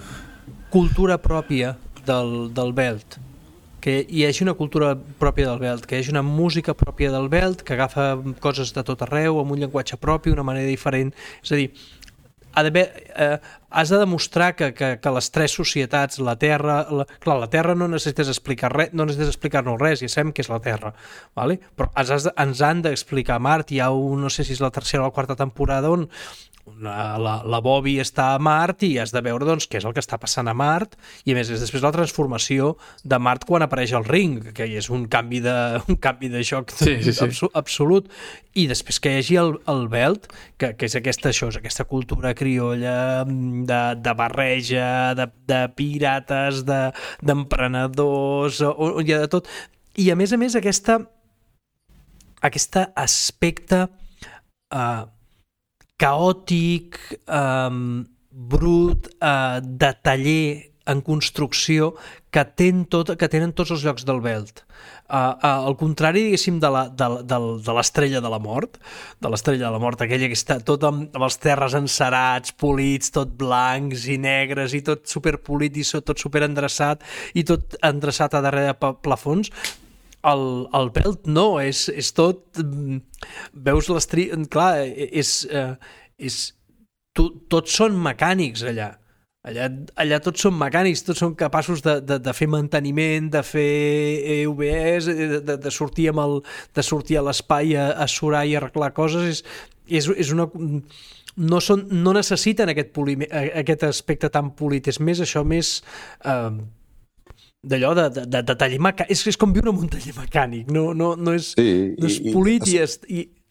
cultura pròpia del Belt, que hi hagi una cultura pròpia del Belt, que hi hagi una música pròpia del Belt, que agafa coses de tot arreu, amb un llenguatge propi, una manera diferent. És a dir, has de demostrar que les tres societats, la Terra... Clar, la Terra no necessites explicar res, no necessites explicar-nos res, ja sabem què és la Terra, ¿vale? Però ens han d'explicar Mart. Hi ha no sé si és la tercera o la quarta temporada on la Bobby està a Mart i has de veure doncs, què és el que està passant a Mart, i a més és després la transformació de Mart quan apareix el ring, que és un canvi de joc absolut, i després que hi hagi el Belt, que és aquesta cultura criolla de barreja, de pirates, d'emprenedors, on hi ha de tot, i a més aquest aspecte caòtic, brut, de taller en construcció que tenen tots els llocs del Belt. Al contrari, diguéssim, de l'Estrella de la Mort, aquella que està tot amb els terres encerats, polits, tot blancs i negres i tot superpolit i tot superendreçat i tot endreçat a darrere de plafons. El Belt no, és tot... Veus clar, tots són mecànics allà. Allà tots són mecànics, tots són capaços de fer manteniment, de fer EVS, de sortir a l'espai a surar i arreglar coses. És una... No necessiten aquest aspecte tan polit, és més això, més... d'allò de taller mecànic, és com viure en un taller mecànic, no és polit i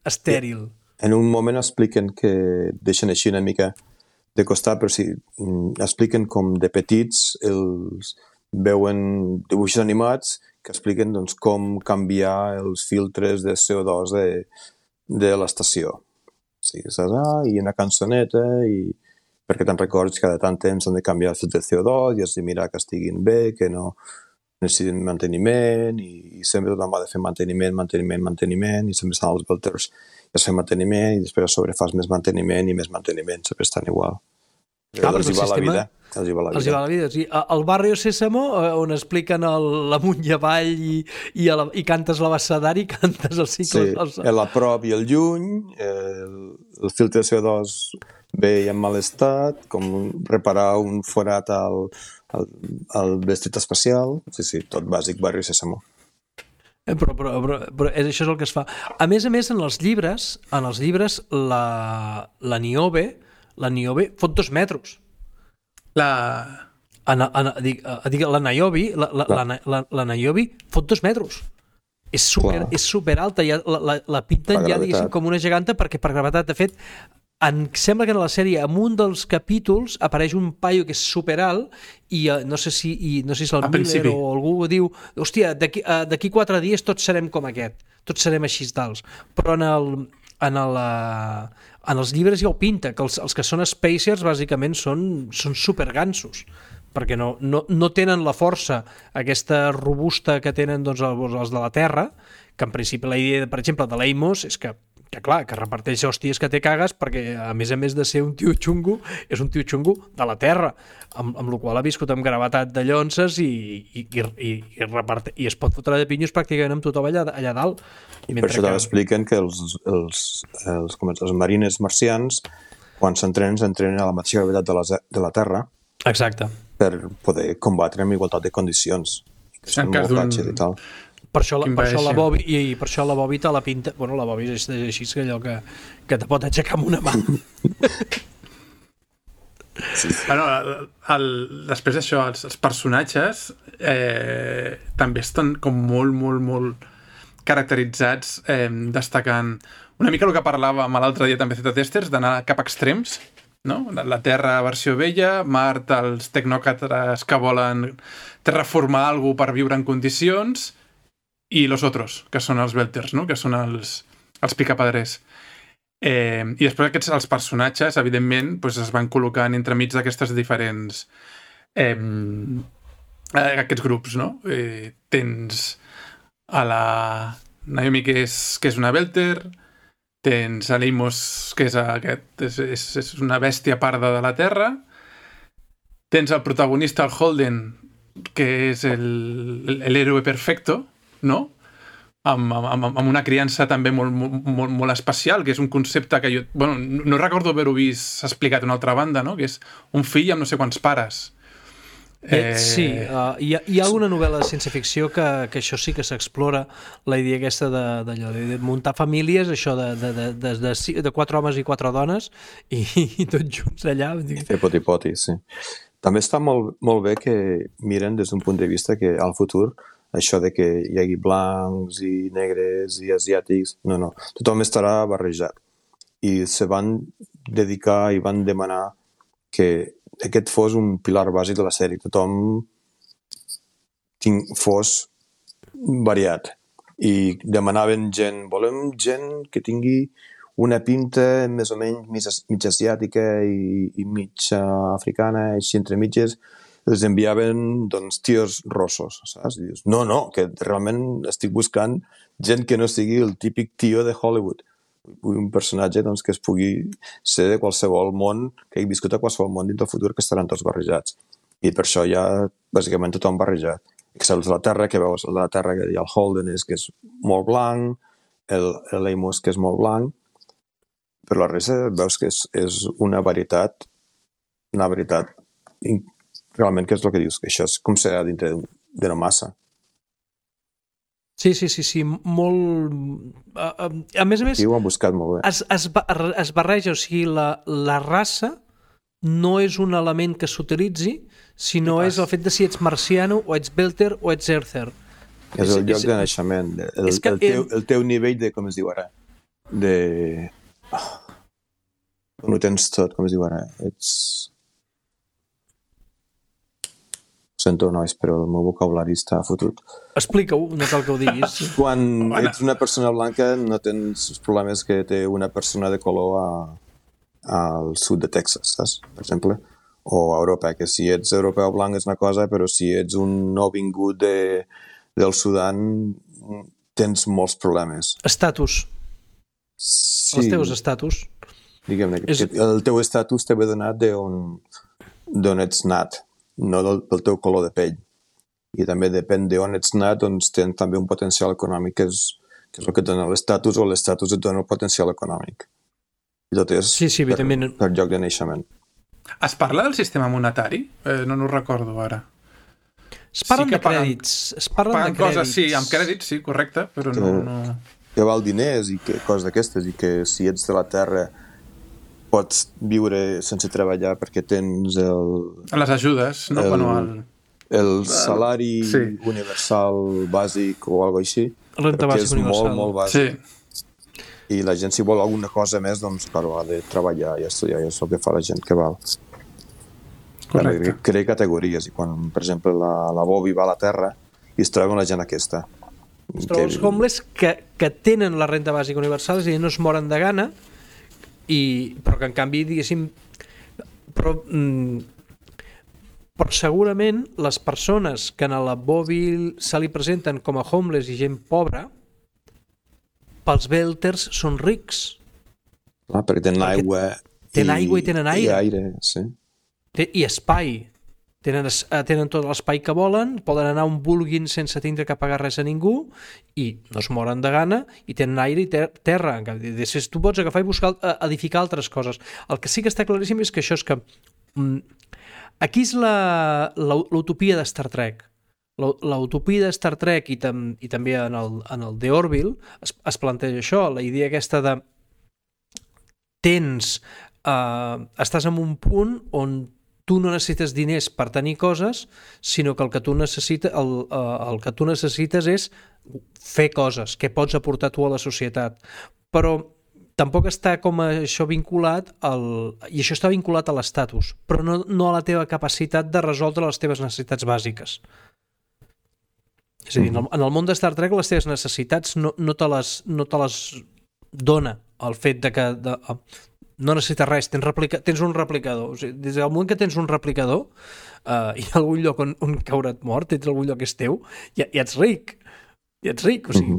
estèril. En un moment expliquen que deixen així una mica de costat, però sí, expliquen com de petits veuen dibuixos animats que expliquen doncs, com canviar els filtres de CO2 de l'estació. Sí, saps? I una cançoneta perquè te'n records que cada tant temps han de canviar el filtre de CO2 i has de mirar que estiguin bé, que no necessiten manteniment i sempre tothom va de fer manteniment i sempre estan els belters i es fa manteniment i després a sobre fas més manteniment, sempre estan igual. Els hi va la vida. Els hi va la vida. Sí, al Barrio Sésamo, on expliquen l'amunt i avall i cantes l'abecedari, cantes els cicles... Sí, a prop i el lluny, el filtre de CO2 bé i en mal estat, com reparar un forat al vestit espacial, sí, tot bàsic Barrio Sésamo. Però això és el que es fa. A més, en els llibres la Niobe fot 2 metres. La Niobe fot 2 metres. És super alta, la pinten ja, diguéssim, com una geganta perquè per gravetat, de fet, sembla que en la sèrie, en un dels capítols, apareix un paio que és superalt i no sé si és el Miller o algú diu, hòstia, d'aquí 4 dies tots serem com aquest, tots serem així tals. Però en els llibres ja ho pinta, que els que són spacers bàsicament són supergansos, perquè no tenen la força aquesta robusta que tenen doncs, els de la Terra, que en principi la idea, per exemple, de l'Amos és que clar, que reparteix hòsties que té cagues perquè, a més de ser un tio xungo, és un tio xungo de la Terra, amb la qual ha viscut amb gravetat de llonces i es pot fotre de pinyos pràcticament amb tothom allà dalt. I per això expliquen que els marines marcians, quan s'entrenen a la mateixa gravetat de la Terra, exacte, per poder combatre amb igualtat de condicions, que són molt fràgils i tal. Per això la Bobby te la pinta... Bueno, la Bobby és així, que allò que te pot aixecar amb una mà. Sí. Bueno, després d'això, els personatges també estan com molt caracteritzats, destacant una mica el que parlàvem l'altre dia també a Testers, d'anar cap a extrems, no? La Terra versió vella, Mart, els tecnòcrates que volen terraformar alguna per viure en condicions, i los otros, que són els belters, no? Que són els picapadrers. I després els personatges, evidentment, doncs es van col·locant entremig d'aquestes diferents aquests grups, no? Tens a la Naomi, que és una Belter, tens a Leimos, que és una bèstia parda de la Terra, tens el protagonista, el Holden, que és l'héroe perfecto, no? Amb una criança també molt especial, que és un concepte que jo... Bueno, no recordo haver-ho vist explicat d'una altra banda, no? Que és un fill amb no sé quants pares. Sí, hi ha alguna novel·la de ciència-ficció que això sí que s'explora, la idea aquesta de muntar famílies, això de 4 homes i 4 dones i tots junts allà. Fer poti-poti, sí. També està molt bé que miren des d'un punt de vista que al futur això de que hi hagi blancs i negres i asiàtics, no, tothom estarà barrejat. I se van dedicar i van demanar que aquest fos un pilar bàsic de la sèrie. Tothom fos variat. I demanaven volem gent que tingui una pinta més o menys mig asiàtica i mig africana, així entre mitges. Els enviaven, doncs, tios rossos, saps? I dius, no, que realment estic buscant gent que no sigui el típic tio de Hollywood. Un personatge, doncs, que es pugui ser de qualsevol món, que hagi viscut a qualsevol món dins del futur, que estaran tots barrejats. I per això hi ha, bàsicament, tothom barrejat. Excepte la Terra, que veus, la Terra que hi ha el Holden, que és molt blanc, l'Amos, que és molt blanc, però la resta veus que és una varietat realment, que és el que dius, que això és com serà dintre d'una massa. Sí, molt... A més, sí, ho han buscat molt bé. Es barreja, o sigui, la raça no és un element que s'utilitzi, sinó és el fet de si ets marciano, o ets belter, o ets earther. És el lloc de naixement, el teu nivell de, com es diu ara, de... No ho tens tot, com es diu ara, ets... Sento, nois, però el meu vocabulari està fotut. Explica-ho, no cal que ho diguis. Quan ets una persona blanca no tens els problemes que té una persona de color al sud de Texas, saps? Per exemple. O a Europa, que si ets europeu blanc és una cosa, però si ets un nouvingut del Sudan tens molts problemes. Estatus. Sí. Els teus estatus. Diguem-ne, el teu estatus t'ha donat d'on ets nat, no del teu color de pell. I també depèn d'on ets nat, doncs tens també un potencial econòmic, que és el que et dona l'estatus, o l'estatus et dona el potencial econòmic. I tot és per lloc de naixement. Es parla del sistema monetari? No ho recordo ara. Es parlen de crèdits. Es parlen de crèdits. Coses, sí, amb crèdits, sí, correcte, però no... Que val diners i coses d'aquestes, i que si ets de la Terra pots viure sense treballar perquè tens les ajudes, no? El salari universal bàsic o alguna cosa així. Renta bàsica universal. És molt bàsic. Sí. I la gent, si vol alguna cosa més, doncs, claro, ha de treballar i estudiar, i és el que fa la gent que val. Crea categories, i quan, per exemple, la Bobby va a la Terra i es troba la gent aquesta. Es troba els homeless que tenen la renta bàsica universal, és a dir, no es moren de gana, però que en canvi, diguéssim, però segurament les persones que a la Bobby se li presenten com a homeless i gent pobra, pels belters són rics. Perquè tenen aigua i tenen aire. I aire, sí. I espai. Tenen tot l'espai que volen, poden anar on vulguin sense tindre que pagar res a ningú, i no es moren de gana, i tenen aire i terra. Tu pots agafar i buscar edificar altres coses. El que sí que està claríssim és que això és que aquí és l'utopia de Star Trek. L'utopia de Star Trek i també en el The Orville es planteja això, la idea aquesta de estàs en un punt on tu no necessites diners per tenir coses, sinó que el que tu necessites és fer coses, que pots aportar tu a la societat. Però tampoc està com això vinculat i això està vinculat a l'estatus, però no a la teva capacitat de resoldre les teves necessitats bàsiques. És a dir, en el món de Star Trek les teves necessitats no te les dona el fet de que no necessites res, tens un replicador. O sigui, des del moment que tens un replicador, hi ha algun lloc on caure't mort, tens algun lloc que és teu, ja ets ric. Ja ets ric, o sigui,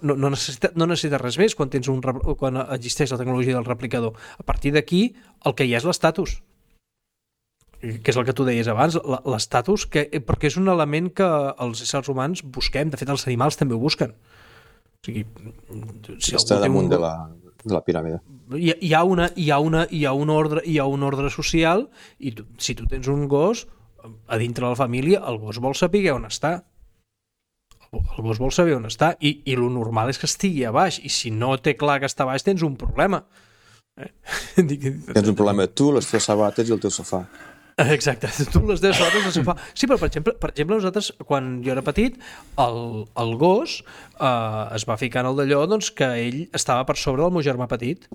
no necessites res més quan existeix la tecnologia del replicador. A partir d'aquí, el que hi ha és l'estatus, que és el que tu deies abans, l'estatus, perquè és un element que els éssers humans busquem, de fet els animals també ho busquen. O sigui, si està damunt de la piràmide. Hi ha un ordre social, i si tu tens un gos a dintre de la família, el gos vol saber on està. El gos vol saber on està, i el normal és que estigui a baix, i si no té clar que està a baix tens un problema. Tens un problema tu, les teves sabates i el teu sofà. Exacte, tu les teves sabates al sofà. Sí, però per exemple nosaltres, quan jo era petit, el gos es va ficar en el d'allò, doncs, que ell estava per sobre del meu germà petit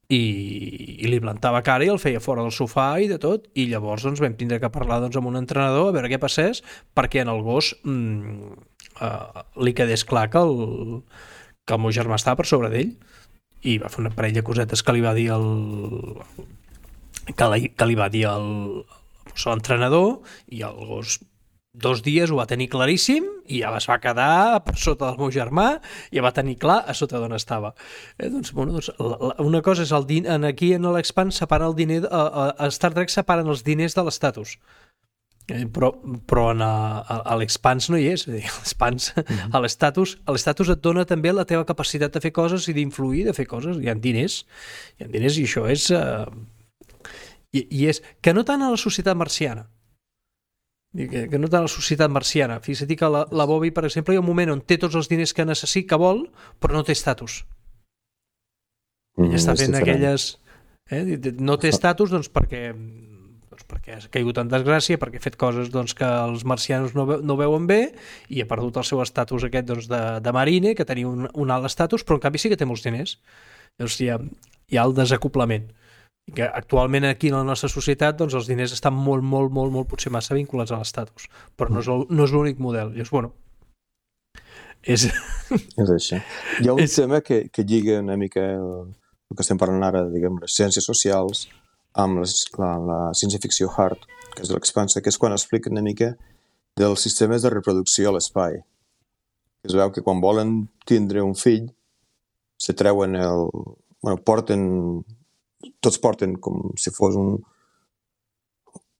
i li plantava cara i el feia fora del sofà i de tot, i llavors doncs, vam tindre que parlar amb un entrenador a veure què passés, perquè en el gos li quedés clar que el meu germà estava per sobre d'ell, i va fer una parella de cosetes que li va dir l'entrenador, i el gos 2 dies ho va tenir claríssim i ja es va quedar per sota del meu germà i ja va tenir clar a sota d'on estava. Una cosa és aquí en l'Expanse separen el diner, a Star Trek separen els diners de l'estatus, però a l'Expanse no hi és. A l'estatus et dona també la teva capacitat de fer coses i d'influir, de fer coses. Hi ha diners i això és i és que no tant a la societat marciana, fixa't que la Bobby, per exemple, hi ha un moment on té tots els diners que necessita, que vol, però no té estatus. Ella està fent aquelles no té estatus doncs perquè ha caigut en desgràcia, perquè ha fet coses doncs, que els marcianos no veuen bé, i ha perdut el seu estatus aquest doncs, de marine, que tenia un alt estatus, però en canvi sí que té molts diners. Llavors hi ha el desacoplament, i que actualment aquí en la nostra societat doncs, els diners estan molt, potser massa vinculats a l'estatus, però no és l'únic model. Llavors, és això. Hi ha un tema que lliga una mica el que estem parlant ara, diguem, les ciències socials amb la ciència-ficció hard, que és de l'Expanse, que és quan explica una mica dels sistemes de reproducció a l'espai. Es veu que quan volen tindre un fill se treuen tots porten com si fos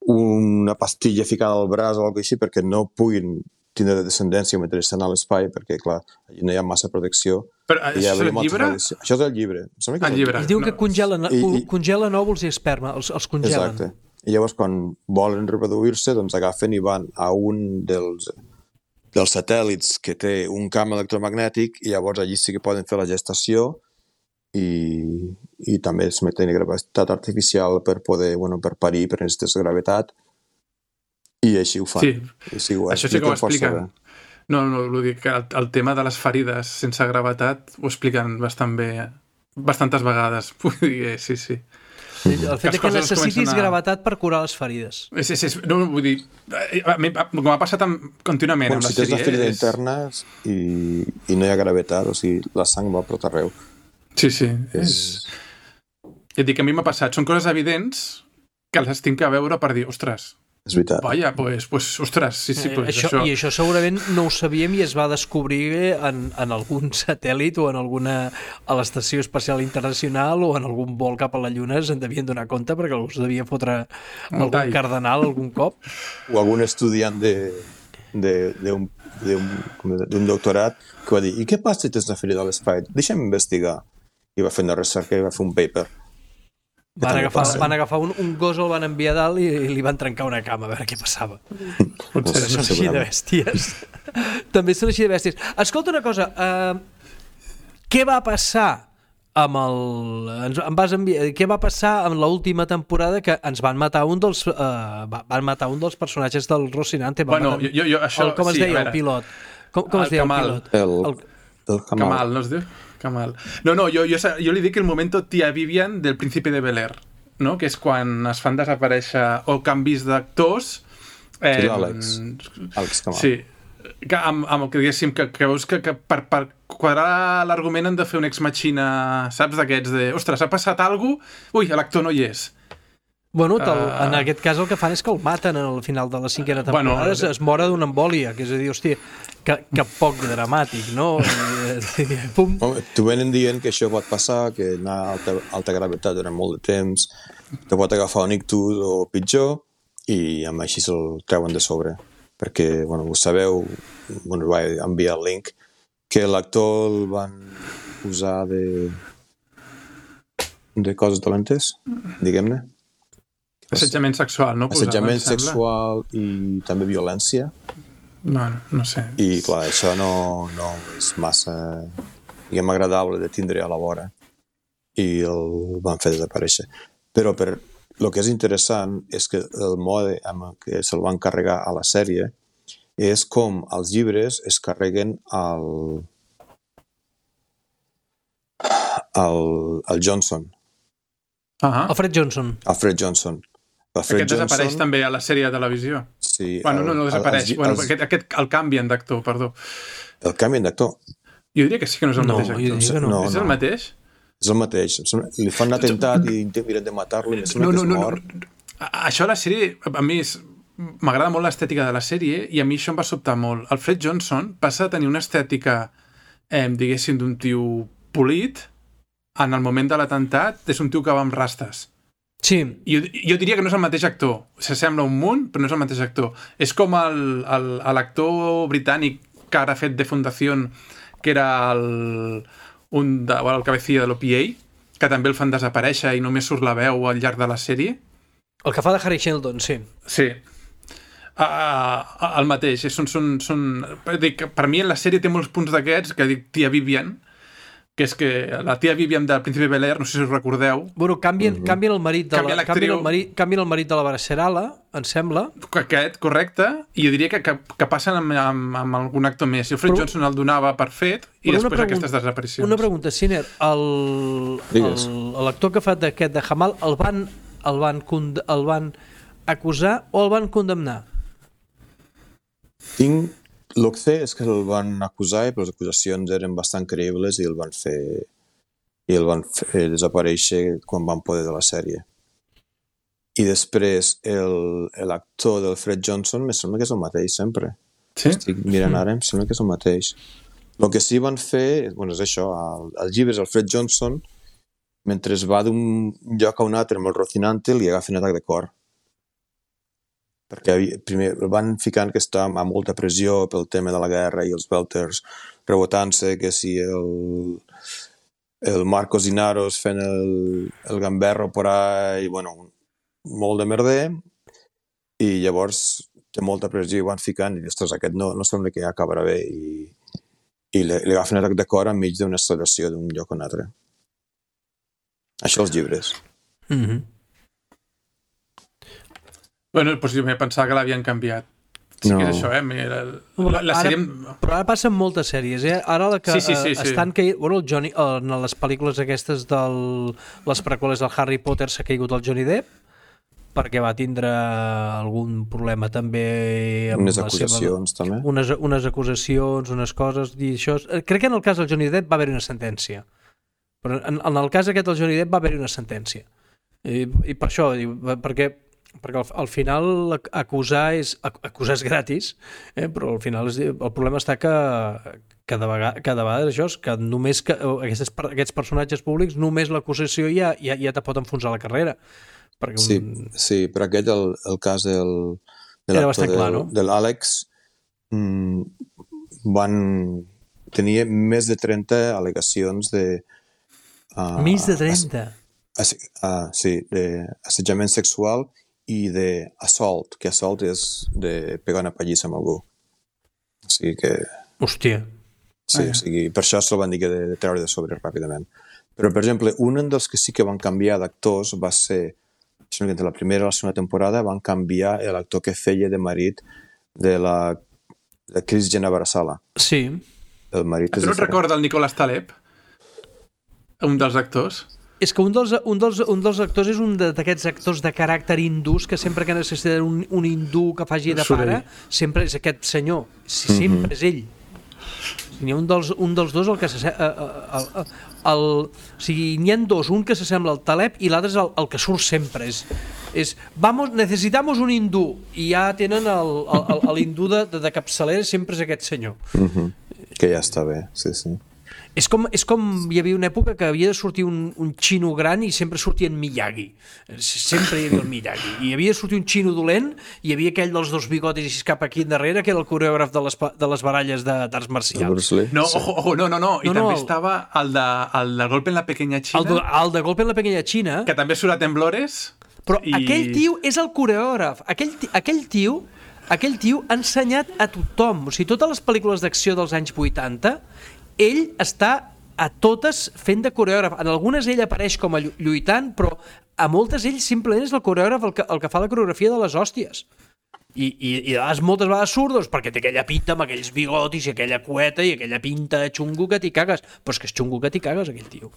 una pastilla ficada al braç o alguna cosa així perquè no puguin tindre descendència mentre estan a l'espai, perquè clar, allà no hi ha massa protecció. Però això és el llibre? Això és el llibre. Es diu que congelen òvuls i esperma, els congelen. Exacte. I llavors quan volen reproduir-se doncs agafen i van a un dels satèl·lits que té un camp electromagnètic, i llavors allí sí que poden fer la gestació i també es meten gravetat artificial per poder, per parir, per necessites gravetat, i així ho fan. Sí, això sí que ho expliquen. No, vull dir que el tema de les ferides sense gravetat ho expliquen bastant bé, bastantes vegades. Vull dir, sí. El fet que necessitis gravetat per curar les ferides. Sí. No, vull dir, com ha passat contínuament amb les sèries... Si tens una ferida interna i no hi ha gravetat, o sigui, la sang va per tot arreu. Sí. Ja et dic, a mi m'ha passat. Són coses evidents que les tinc que veure per dir, ostres, és veritat. Vaja, pues, ostres, sí, pues això. I això segurament no ho sabíem i es va descobrir en algun satèl·lit o a l'Estació Espacial Internacional o en algun vol cap a la Lluna se'n devien donar compte perquè algú es devia fotre algun cardenal algun cop. O algun estudiant d'un doctorat que va dir, i què passa si tens una ferida a l'espai? Deixa'm investigar. I va fer una recerca i va fer un paper. Van agafar un gos, el van enviar a dalt i li van trencar una cama a veure què passava. Són així de bèsties. També són així de bèsties. Escolta una cosa, què va passar què va passar amb l'última temporada que ens van matar un dels personatges del Rocinante? Bueno, com es deia el pilot? Com es deia el pilot? El Kamal, no es diu? Kamal. No, jo li dic el momento tia Vivian del Príncipe de Bel-Air, no? Que és quan es fan desaparèixer o canvis d'actors. Àlex Kamal. Sí, amb el que diguéssim que veus que per quadrar l'argument han de fer un ex machina, saps, d'aquests de, ostres, ha passat alguna cosa, ui, l'actor no hi és. Bueno, en aquest cas el que fan és que el maten al final de la 5a temporada, es mora d'una embòlia, que és a dir, hòstia, que poc dramàtic, no? Pum. T'ho venen dient que això pot passar, que anar a alta gravetat durant molt de temps, que pot agafar un ictus o pitjor, i amb així se'l treuen de sobre. Perquè, bueno, ho sabeu, bueno, vaig enviar el link, que l'actor el van usar de coses dolentes, diguem-ne. Assetjament sexual, no? Assetjament sexual i també violència. No sé. I, clar, això no és massa, diguem, agradable de tindre a la vora. I el van fer desaparèixer. Però el que és interessant és que el mode amb què se'l van carregar a la sèrie és com els llibres es carreguen al Johnson. Alfred Johnson. Aquest desapareix també a la sèrie de televisió. Sí. Bueno, no desapareix. El canvien d'actor, perdó. El canvien d'actor? Jo diria que sí que no és el mateix actor. No. És el mateix? És el mateix. Li fan un atemptat i miren de matar-lo i no. Això a la sèrie, a mi m'agrada molt l'estètica de la sèrie i a mi això em va sobtar molt. Alfred Johnson passa a tenir una estètica, diguéssim, d'un tio polit. En el moment de l'atemptat és un tio que va amb rastes. Sí. Jo diria que no és el mateix actor. S'assembla un munt, però no és el mateix actor. És com l'actor britànic que ara ha fet de Fundación, que era el cabecilla de l'OPA, que també el fan desaparèixer i només surt la veu al llarg de la sèrie. El que fa de Harry Sheldon, sí. Sí. El mateix. Per mi en la sèrie té molts punts d'aquests, que dic tia Vivian, que és que la tia Vivian del Príncipe Bel-Air, no sé si us recordeu... Bueno, canvien el marit canvien el marit de la Bracerala, em sembla. Aquest, correcte, i jo diria que passen amb algun actor més. I Alfred Johnson el donava per fet i després aquestes desaparicions. Una pregunta, Siner, l'actor que fa d'aquest de Jamal el van acusar o el van condemnar? El que sé és que el van acusar, però les acusacions eren bastant creïbles i el van fer desaparèixer quan van poder de la sèrie. I després l'actor del Fred Johnson em sembla que és el mateix sempre. Sí? Estic mirant ara, em sembla que és el mateix. El que sí van fer, bueno, és això, als llibres el Fred Johnson, mentre es va d'un lloc a un altre amb el Rocinante, li agafa un atac de cor. Perquè primer el van ficant que està amb molta pressió pel tema de la guerra i els Belters rebotant-se, que si el Marcos Inaros fent el gamberro por ahí, bueno, molt de merder, i llavors té molta pressió i van ficant i ostres, aquest no sembla que ja acabarà bé i li agafen un atac de cor enmig d'una celebració d'un lloc a un altre. Això els llibres. Bueno, doncs jo m'he pensat que l'havien canviat. Sí que és això, la sèrie... Però ara passen moltes sèries, Ara la que sí. estan caient... Bueno, el Johnny, en les pel·lícules aquestes les preqüeles del Harry Potter s'ha caigut el Johnny Depp perquè va tindre algun problema també amb unes acusacions també. Unes acusacions, unes coses i això... Crec que en el cas del Johnny Depp va haver-hi una sentència. Però en el cas aquest del Johnny Depp va haver-hi una sentència. I per això, perquè al final acusar és gratis, però al final el problema està que cada vegada això és que només aquests personatges públics, només l'acusació ja te pot enfonsar la carrera. Sí, però aquest el cas de l'actor de l'Àlex van tenir més de 30 al·legacions de... Més de 30? Sí, d'assetjament sexual i d'assault, que assault és de pegar una pallissa amb algú. O sigui que... Hòstia. Sí, o sigui, per això se'l van dir que de treure de sobre ràpidament. Però, per exemple, un dels que sí que van canviar d'actors va ser, entre la primera i la segona temporada, van canviar l'actor que feia de marit de Chris Jenna Barasala. Sí. El marit tu no et recorda el Nicolas Taleb? Un dels actors? És que un dels actors és un d'aquests actors de caràcter hindús que sempre que necessiten un hindú que faci de pare, sempre és aquest senyor. Sempre és ell. N'hi ha un dels dos el que o sigui, n'hi ha dos, un que s'assembla al Taleb i l'altre és el que surt sempre. Vamos, necesitamos un hindú, i ja tenen l'hindú de capçalera, sempre és aquest senyor. Que ja està bé, sí. És com hi havia una època que havia de sortir un xino gran i sempre sortia en Miyagi. Sempre hi havia el Miyagi. I havia de sortir un xino dolent i hi havia aquell dels dos bigotis i cap aquí endarrere, que era el coreògraf de les baralles d'arts marcials. No, ojo, no. I també estava el de Golpe en la Pequeña China. El de Golpe en la Pequeña China. Que també surt a Temblores. Però aquell tio és el coreògraf. Aquell tio ha ensenyat a tothom. O sigui, totes les pel·lícules d'acció dels anys 80... ell està a totes fent de coreògraf. En algunes ell apareix com a lluitant, però a moltes ell simplement és el coreògraf el que fa la coreografia de les hòsties. I moltes vegades surt perquè té aquella pinta amb aquells bigotis i aquella cueta i aquella pinta de xungo que t'hi cagues. Però és que és xungo que t'hi cagues, aquell tio.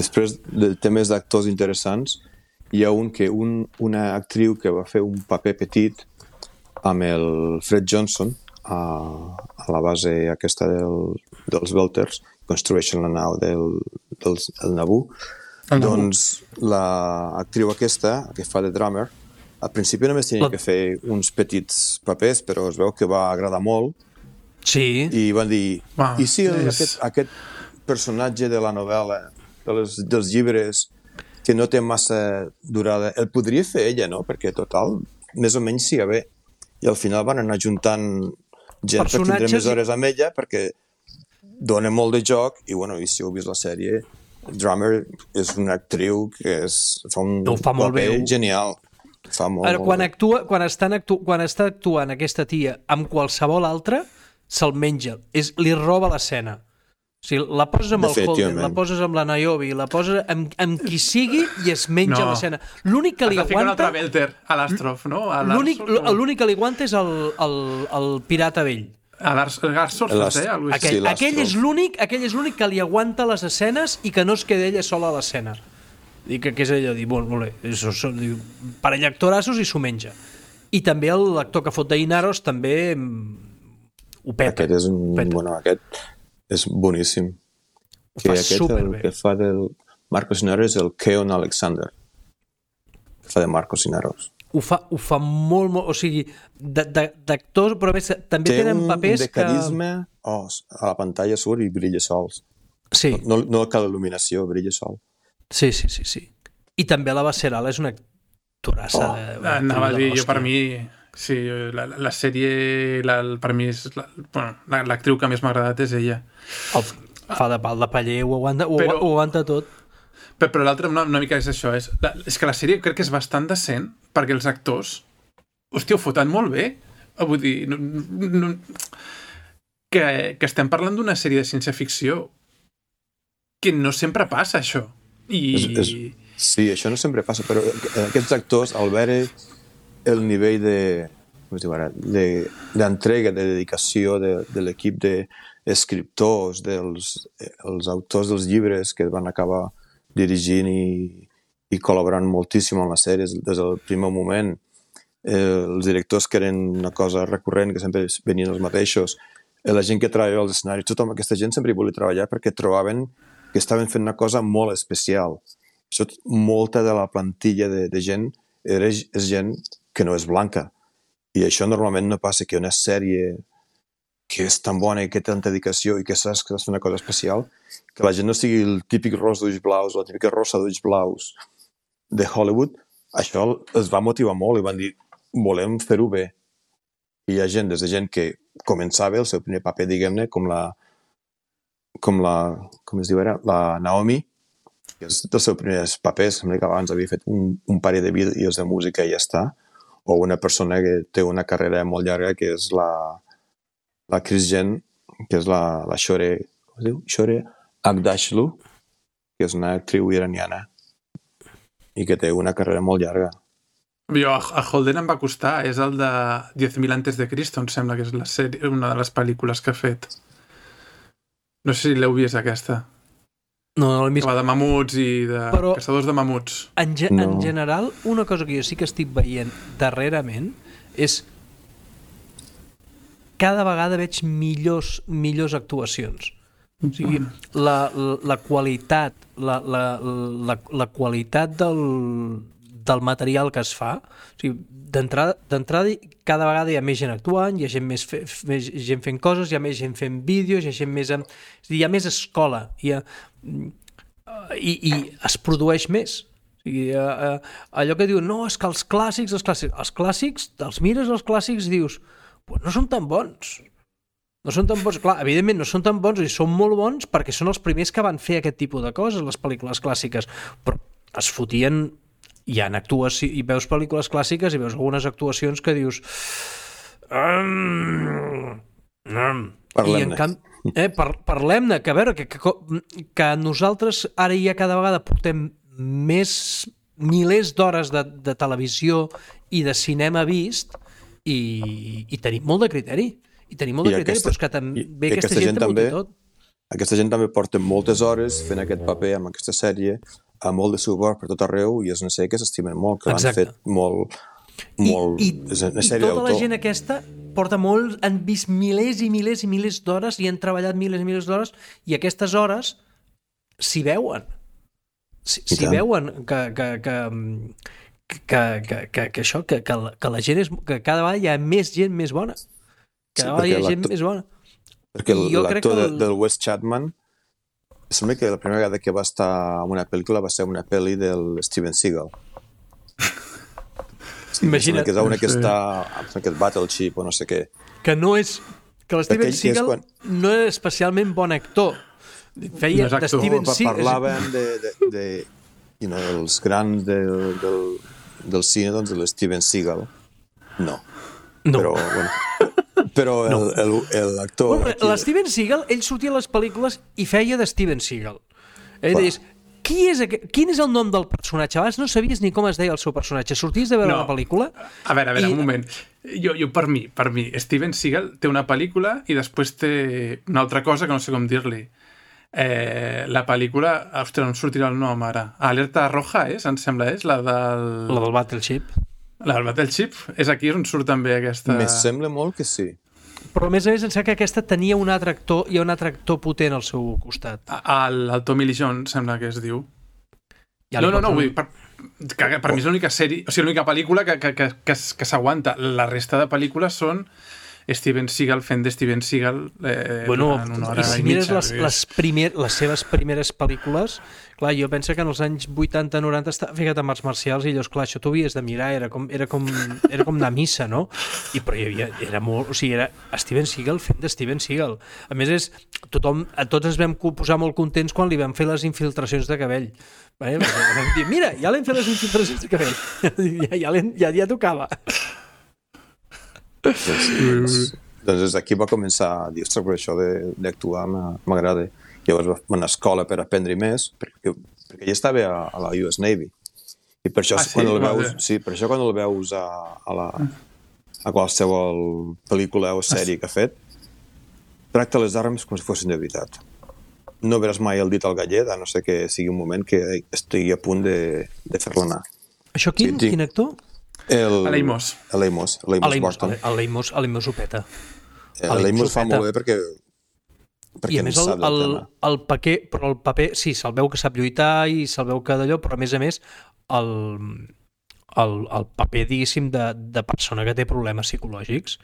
Després de temes d'actors interessants, hi ha una actriu que va fer un paper petit amb el Fred Johnson a la base aquesta dels Belters, construeixen la nau del Naboo. Doncs l'actriu aquesta, que fa de drummer, al principi només tenia que fer uns petits papers, però es veu que va agradar molt. Sí. I van dir, i si aquest personatge de la novel·la, dels llibres, que no té massa durada, el podria fer ella, no? Perquè total, més o menys siga bé. I al final van anar juntant gent per tindre més hores amb ella, perquè dona molt de joc, i si heu vist la sèrie, Drummer és una actriu que fa un paper genial. Fa molt, quan està actuant aquesta tia amb qualsevol altra, se'l menja, li roba l'escena. O sigui, la poses amb el Holden, la poses amb la Niobe, la poses amb qui sigui i es menja l'escena. L'únic que li aguanta... un altre Belter, a l'Astrof, no? L'únic que li aguanta és el pirata vell. A l'Arsorf, aquell és l'únic que li aguanta les escenes i que no es queda ella sola a l'escena. I que és allò, dir, molt bé, parell actorassos i s'ho menja. I també l'actor que fot d'Inaros també ho peta. Aquest és boníssim. El que fa del Marcos Inaros és el Keon Alexander, que fa de Marcos Inaros. Ho fa molt, o sigui, d'actors, però a més també tenen papers que... Té un de carisma, a la pantalla surt i brilla sols. Sí. No cal il·luminació, brilla sol. Sí. I també la Bacerala és una actorassa. Anava a dir, jo per mi... Sí, la sèrie, per mi, l'actriu que més m'ha agradat és ella. Fa de pal de paller, ho aguanta tot. Però l'altre una mica és això, és que la sèrie crec que és bastant decent, perquè els actors, hòstia, ho foten molt bé. Vull dir, que estem parlant d'una sèrie de ciència-ficció que no sempre passa, això. Sí, això no sempre passa, però aquests actors, al veure el nivell d'entrega, de dedicació de l'equip d'escriptors, dels autors dels llibres que van acabar dirigint i col·laborant moltíssim amb les sèries des del primer moment, els directors que eren una cosa recurrent, que sempre venien els mateixos, la gent que treballava als escenaris, tota aquesta gent sempre hi volia treballar perquè trobaven que estaven fent una cosa molt especial. Molta de la plantilla de gent és gent que no és blanca. I això normalment no passa, que una sèrie que és tan bona i que té tanta dedicació i que saps que has fet una cosa especial, que la gent no sigui el típic ros d'ulls blaus o la típica rosa d'ulls blaus de Hollywood, això els va motivar molt i van dir, volem fer-ho bé. I hi ha gent, des de gent que començava el seu primer paper, diguem-ne, com es diu ara, la Naomi, que és dels seus primers papers, sembla que abans havia fet un parell de vídeos de música i ja està, o una persona que té una carrera molt llarga, que és la Chris Jen, que és la Shore, com es diu? Shore Agdashlu, que és una actriu iraniana i que té una carrera molt llarga. Jo, a Holden em va costar, és el de 10.000 antes de Cristo, em sembla que és la sèrie, una de les pel·lícules que ha fet. No sé si l'heu vist, aquesta. No l'he vist. Que va de mamuts i de caçadors de mamuts. En general, una cosa que jo sí que estic veient darrerament és cada vegada veig millors actuacions. O sigui, la qualitat la qualitat del material que es fa, o sigui, d'entrada cada vegada hi ha més gent actuant, hi ha gent més gent fent coses, hi ha més gent fent vídeos, hi ha gent més hi ha més escola, i es produeix més. O sigui, allò que diuen, no, és que els clàssics, els mires els clàssics i dius, pues no són tan bons. No són tan bons, clar, evidentment no són tan bons i són molt bons perquè són els primers que van fer aquest tipus de coses, les pel·lícules clàssiques, però es fotien, hi ha actuacions, i veus pel·lícules clàssiques i veus algunes actuacions que dius parlem-ne, que a veure que nosaltres ara ja cada vegada portem milers d'hores de televisió i de cinema vist i tenim molt de criteri. Però és que també aquesta gent també tot. Aquesta gent també porta moltes hores fent aquest paper amb aquesta sèrie, amb molt de suport per tot arreu, i és una sèrie que s'estimen molt, que l'han fet molt I és una sèrie tota la gent aquesta porta molt, han vist milers i milers i milers d'hores i han treballat milers i milers d'hores, i aquestes hores s'hi veuen. S'hi veuen que això, que la gent és, que cada vegada hi ha més gent més bona. Cada vegada hi ha gent més bona. Perquè l'actor del Wes Chapman, sembla que la primera vegada que va estar en una pel·lícula va ser una pel·li del Steven Seagal. Imagina't. Que és una que està amb aquest Battleship o no sé què. Que no és... Que l'Steven Seagal no és especialment bon actor. Feia de Steven Seagal... Parlaven els grans del cine, doncs, de l'Steven Seagal. No. Però l'actor... L'Steven Seagal, ell sortia a les pel·lícules i feia de Steven Seagal. Ell deies, quin és el nom del personatge? Abans no sabies ni com es deia el seu personatge. Sorties de veure la pel·lícula... A veure, un moment. Jo per mi, Steven Seagal té una pel·lícula i després té una altra cosa que no sé com dir-li. La pel·lícula... Ostres, no em sortirà el nom ara. Alerta Roja, em sembla, la del... La del Battleship. La del Battleship? És aquí on surt també aquesta... Me sembla molt que sí. Però a més em sembla que aquesta tenia un altre actor, hi ha un altre actor potent al seu costat. El Tommy Lee Jones, sembla que es diu. No, vull dir, per mi és l'única sèrie, o sigui, l'única pel·lícula que s'aguanta. La resta de pel·lícules són Steven Seagal fent de Steven Seagal durant una hora i mitja. Les seves primeres pel·lícules, clar, jo penso que en els anys 80-90 estava ficat en arts marcials i llavors, clar, això t'ho havies de mirar, era com anar a missa, no? Però hi havia, era molt, o sigui, era Steven Seagal fent de Steven Seagal. A més, tots ens vam posar molt contents quan li vam fer les infiltracions de cabell. Vam dir, mira, ja l'hem fet les infiltracions de cabell. Ja tocava. Doncs aquí va començar a dir, ostres, per això d'actuar m'agrada. Llavors va anar a escola per aprendre més, perquè ja estava a la US Navy. I per això, quan el veus a qualsevol pel·lícula o sèrie que ha fet, tracta les armes com si fossin de veritat. No veràs mai el dit al gallet, a no ser que sigui un moment que estigui a punt de fer-la anar. Això quin actor? L'Amos Burton. L'Amos ho peta. L'Amos fa molt bé perquè i a més el paper sí, se'l veu que sap lluitar i se'l veu que d'allò, però a més el paper, diguéssim, de persona que té problemes psicològics,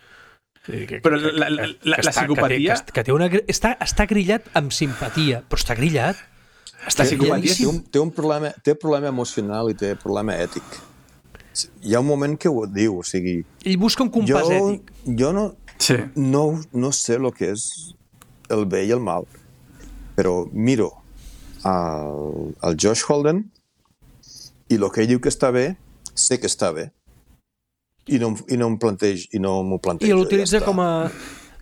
però la psicopatia està grillat amb simpatia, però està grillat. La psicopatia té problema emocional i té problema ètic. Hi ha un moment que ho diu, o sigui... Ell busca un compàs ètic. Jo no sé el que és el bé i el mal, però miro el Josh Holden i el que ell diu que està bé, sé que està bé. I no m'ho plantejo. I l'utilitza com a...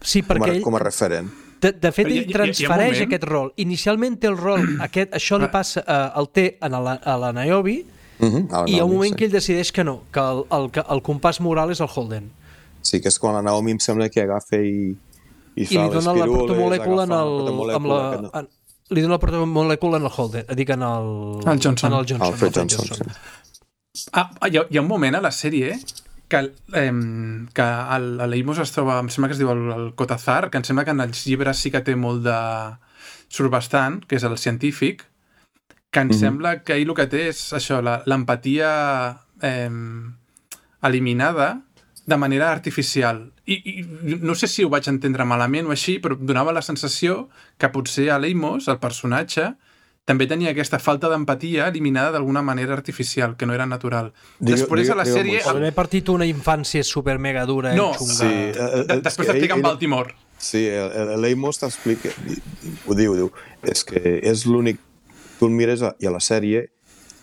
Sí, com a referent. De fet, ell transfereix aquest rol. Inicialment té el rol, això li passa, el té a la Niobe, i hi ha un moment que ell decideix que no, que el compàs moral és el Holden. Sí, que és quan la Naomi em sembla que agafa i fa les pirules, li dona la protomolècula en el Holden, dic en el Johnson. Alfred Johnson. Hi ha un moment a la sèrie que l'Eimos es troba, em sembla que es diu el Cotazar, que em sembla que en els llibres sí que té molt de... surt bastant, que és el científic, que em sembla que ell el que té és això, l'empatia eliminada de manera artificial. I no sé si ho vaig entendre malament o així, però donava la sensació que potser a l'Eimos, el personatge, també tenia aquesta falta d'empatia eliminada d'alguna manera artificial, que no era natural. Després a la sèrie... O d'haver partit una infància super mega dura i xunga. Sí, després t'explica en Baltimore. Sí, l'Eimos t'explica, ho diu, és que és l'únic, tu el mires i a la sèrie,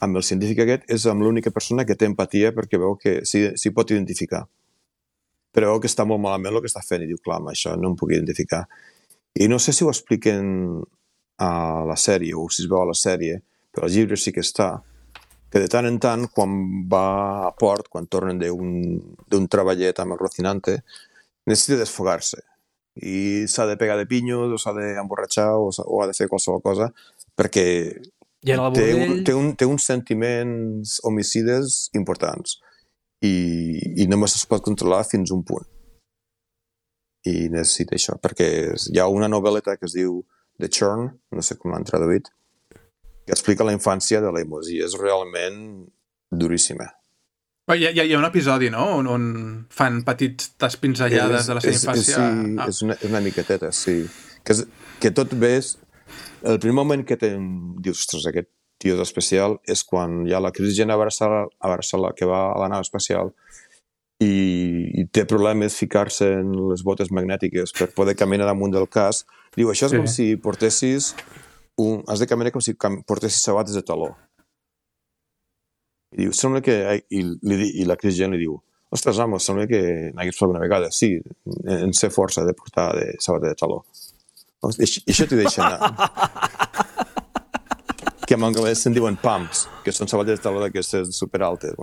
amb el científic aquest, és amb l'única persona que té empatia perquè veu que s'hi pot identificar. Però veu que està molt malament el que està fent i diu, clar, amb això no em puc identificar. I no sé si ho expliquen a la sèrie o si es veu a la sèrie, però als llibres sí que està, que de tant en tant, quan va a port, quan tornen d'un treballet amb el Rocinante, necessita desfogar-se. I s'ha de pegar de pinyos, o s'ha d'emborratxar, o ha de fer qualsevol cosa, perquè té uns sentiments homicides importants i només es pot controlar fins un punt. I necessita això, perquè hi ha una novel·leta que es diu The Churn, no sé com l'han traduït, que explica la infància de l'Eimos i és realment duríssima. Hi ha un episodi, no?, on fan petites pinzellades de la seva infància. Sí, és una miqueteta, sí. Que tot ves... El primer moment que dius, ostres, aquest tio és especial, és quan hi ha la Christian a Barcelona, que va a la nau espacial i té problemes ficar-se en les botes magnètiques per poder caminar damunt del casc. Diu, això és com si portessis... Has de caminar com si portessis sabates de taló. I diu, sembla que... I la Christian li diu, ostres, home, sembla que n'hagués fet una vegada. Sí, en sé força de portar de sabata de taló. I això t'hi deixa anar. Que en anglès se'n diuen pumps, que són sabates de taló d'aquestes superaltes.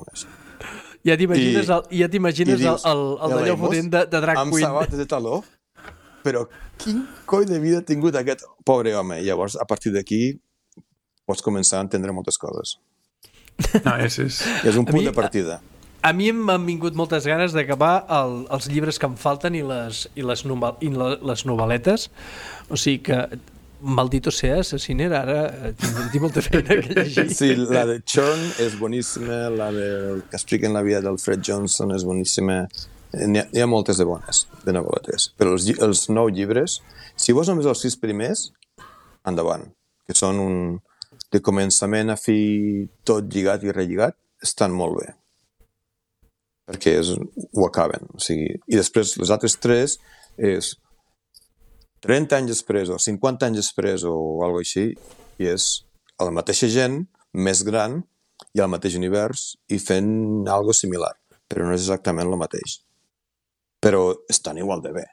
Ja t'imagines el d'allò fotent de drag queen. Amb sabates de taló, però quin coi de vida ha tingut aquest pobre home. I llavors, a partir d'aquí, pots començar a entendre moltes coses. No, és un punt de partida. A mi m'han vingut moltes ganes d'acabar els llibres que em falten i les novel·letes. O sigui que, maldito sea, Assassiner, ara tinc molta feina que llegir. Sí, la de Churn és boníssima, la que expliquen la vida del Fred Johnson és boníssima. Hi ha moltes de bones, de novel·letes. Però els 9 llibres, si vols només els 6 primers, endavant. Que són de començament a fi, tot lligat i relligat, estan molt bé. Perquè ho acaben. O sigui, i després les altres 3 és 30 anys després o 50 anys després o alguna cosa així, i és la mateixa gent, més gran, i al mateix univers, i fent algo similar. Però no és exactament el mateix. Però estan igual de bé.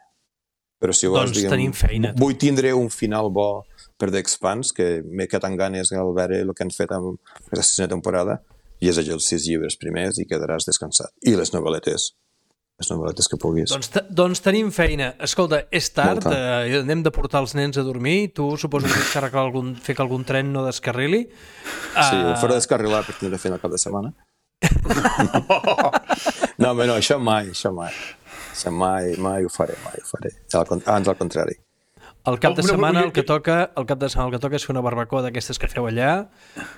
Però si vols, tenim feina. Vull tindre un final bo per The Expanse, que m'he quedat amb ganes al veure el que han fet amb la 6a temporada, i és allò els 6 llibres primers i quedaràs descansat. I les novel·letes que puguis. Doncs tenim feina. Escolta, és tard, anem de portar els nens a dormir, tu suposo que tens que fer que algun tren no descarrili. Sí, ho faré descarrilar per tindre feina al cap de setmana. No, això mai ho faré. Ans al contrari. El cap de setmana el que toca és fer una barbacoa d'aquestes que feu allà,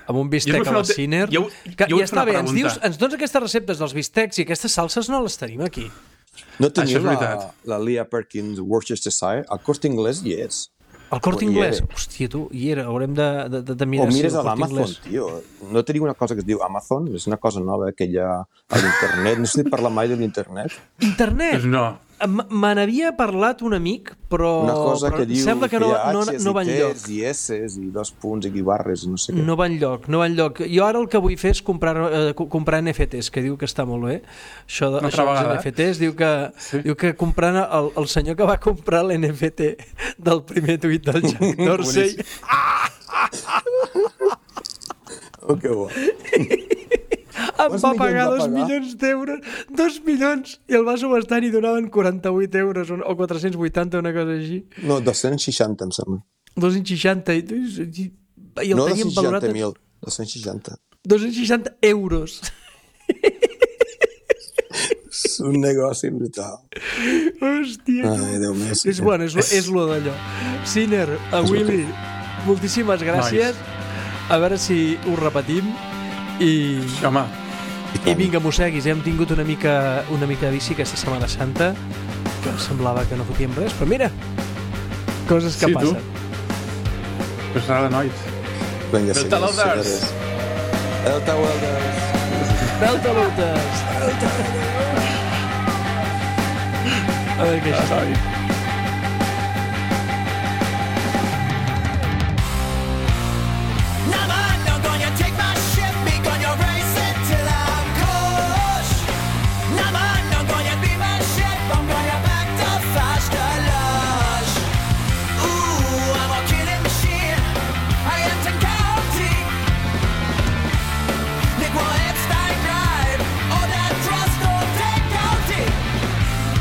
amb un bistec a la Ciner. Ja està bé, ens dones aquestes receptes dels bistecs i aquestes salses no les tenim aquí. No teniu la Leah Perkins Worcestershire? El Corte Inglés hi és. El Corte Inglés? Hòstia, tu, hi era. Haurem de mirar si el Corte Inglés... O mires a l'Amazon, tio. No teniu una cosa que es diu Amazon? És una cosa nova que hi ha a l'internet. No sé si parla mai de l'internet. Internet? No. Me n'havia parlat un amic, però sembla que no va enlloc. I S's i 2 punts i barres, no sé què. No va enlloc. Jo ara el que vull fer és comprar NFTs, que diu que està molt bé. Això dels NFTs, diu que comprant el senyor que va comprar l'NFT del primer tuit del Jack Dorsey... Oh, que bo. Em va pagar 2 milions d'euros, 2 milions, i el va subestar i donaven 48 euros o 480, una cosa així. No, 260, em sembla. 260, i el no, tenien valorat... No, 260.000, 260. 260 euros. un negoci brutal. Hòstia. Ai, Déu meu. És bueno, és lo d'allò. Sinner, a Willy, moltíssimes gràcies. A veure si ho repetim. I vinga, mosseguis. Hem tingut una mica de bici aquesta Setmana Santa, que semblava que no fotíem res, però mira, coses que passen. Pues nada, nois. Vinga, Delta Loaders. Delta Welders. Delta Loaders. A veure què és això.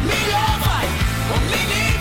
Millor mai, un mínim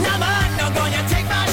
Never, not gonna take my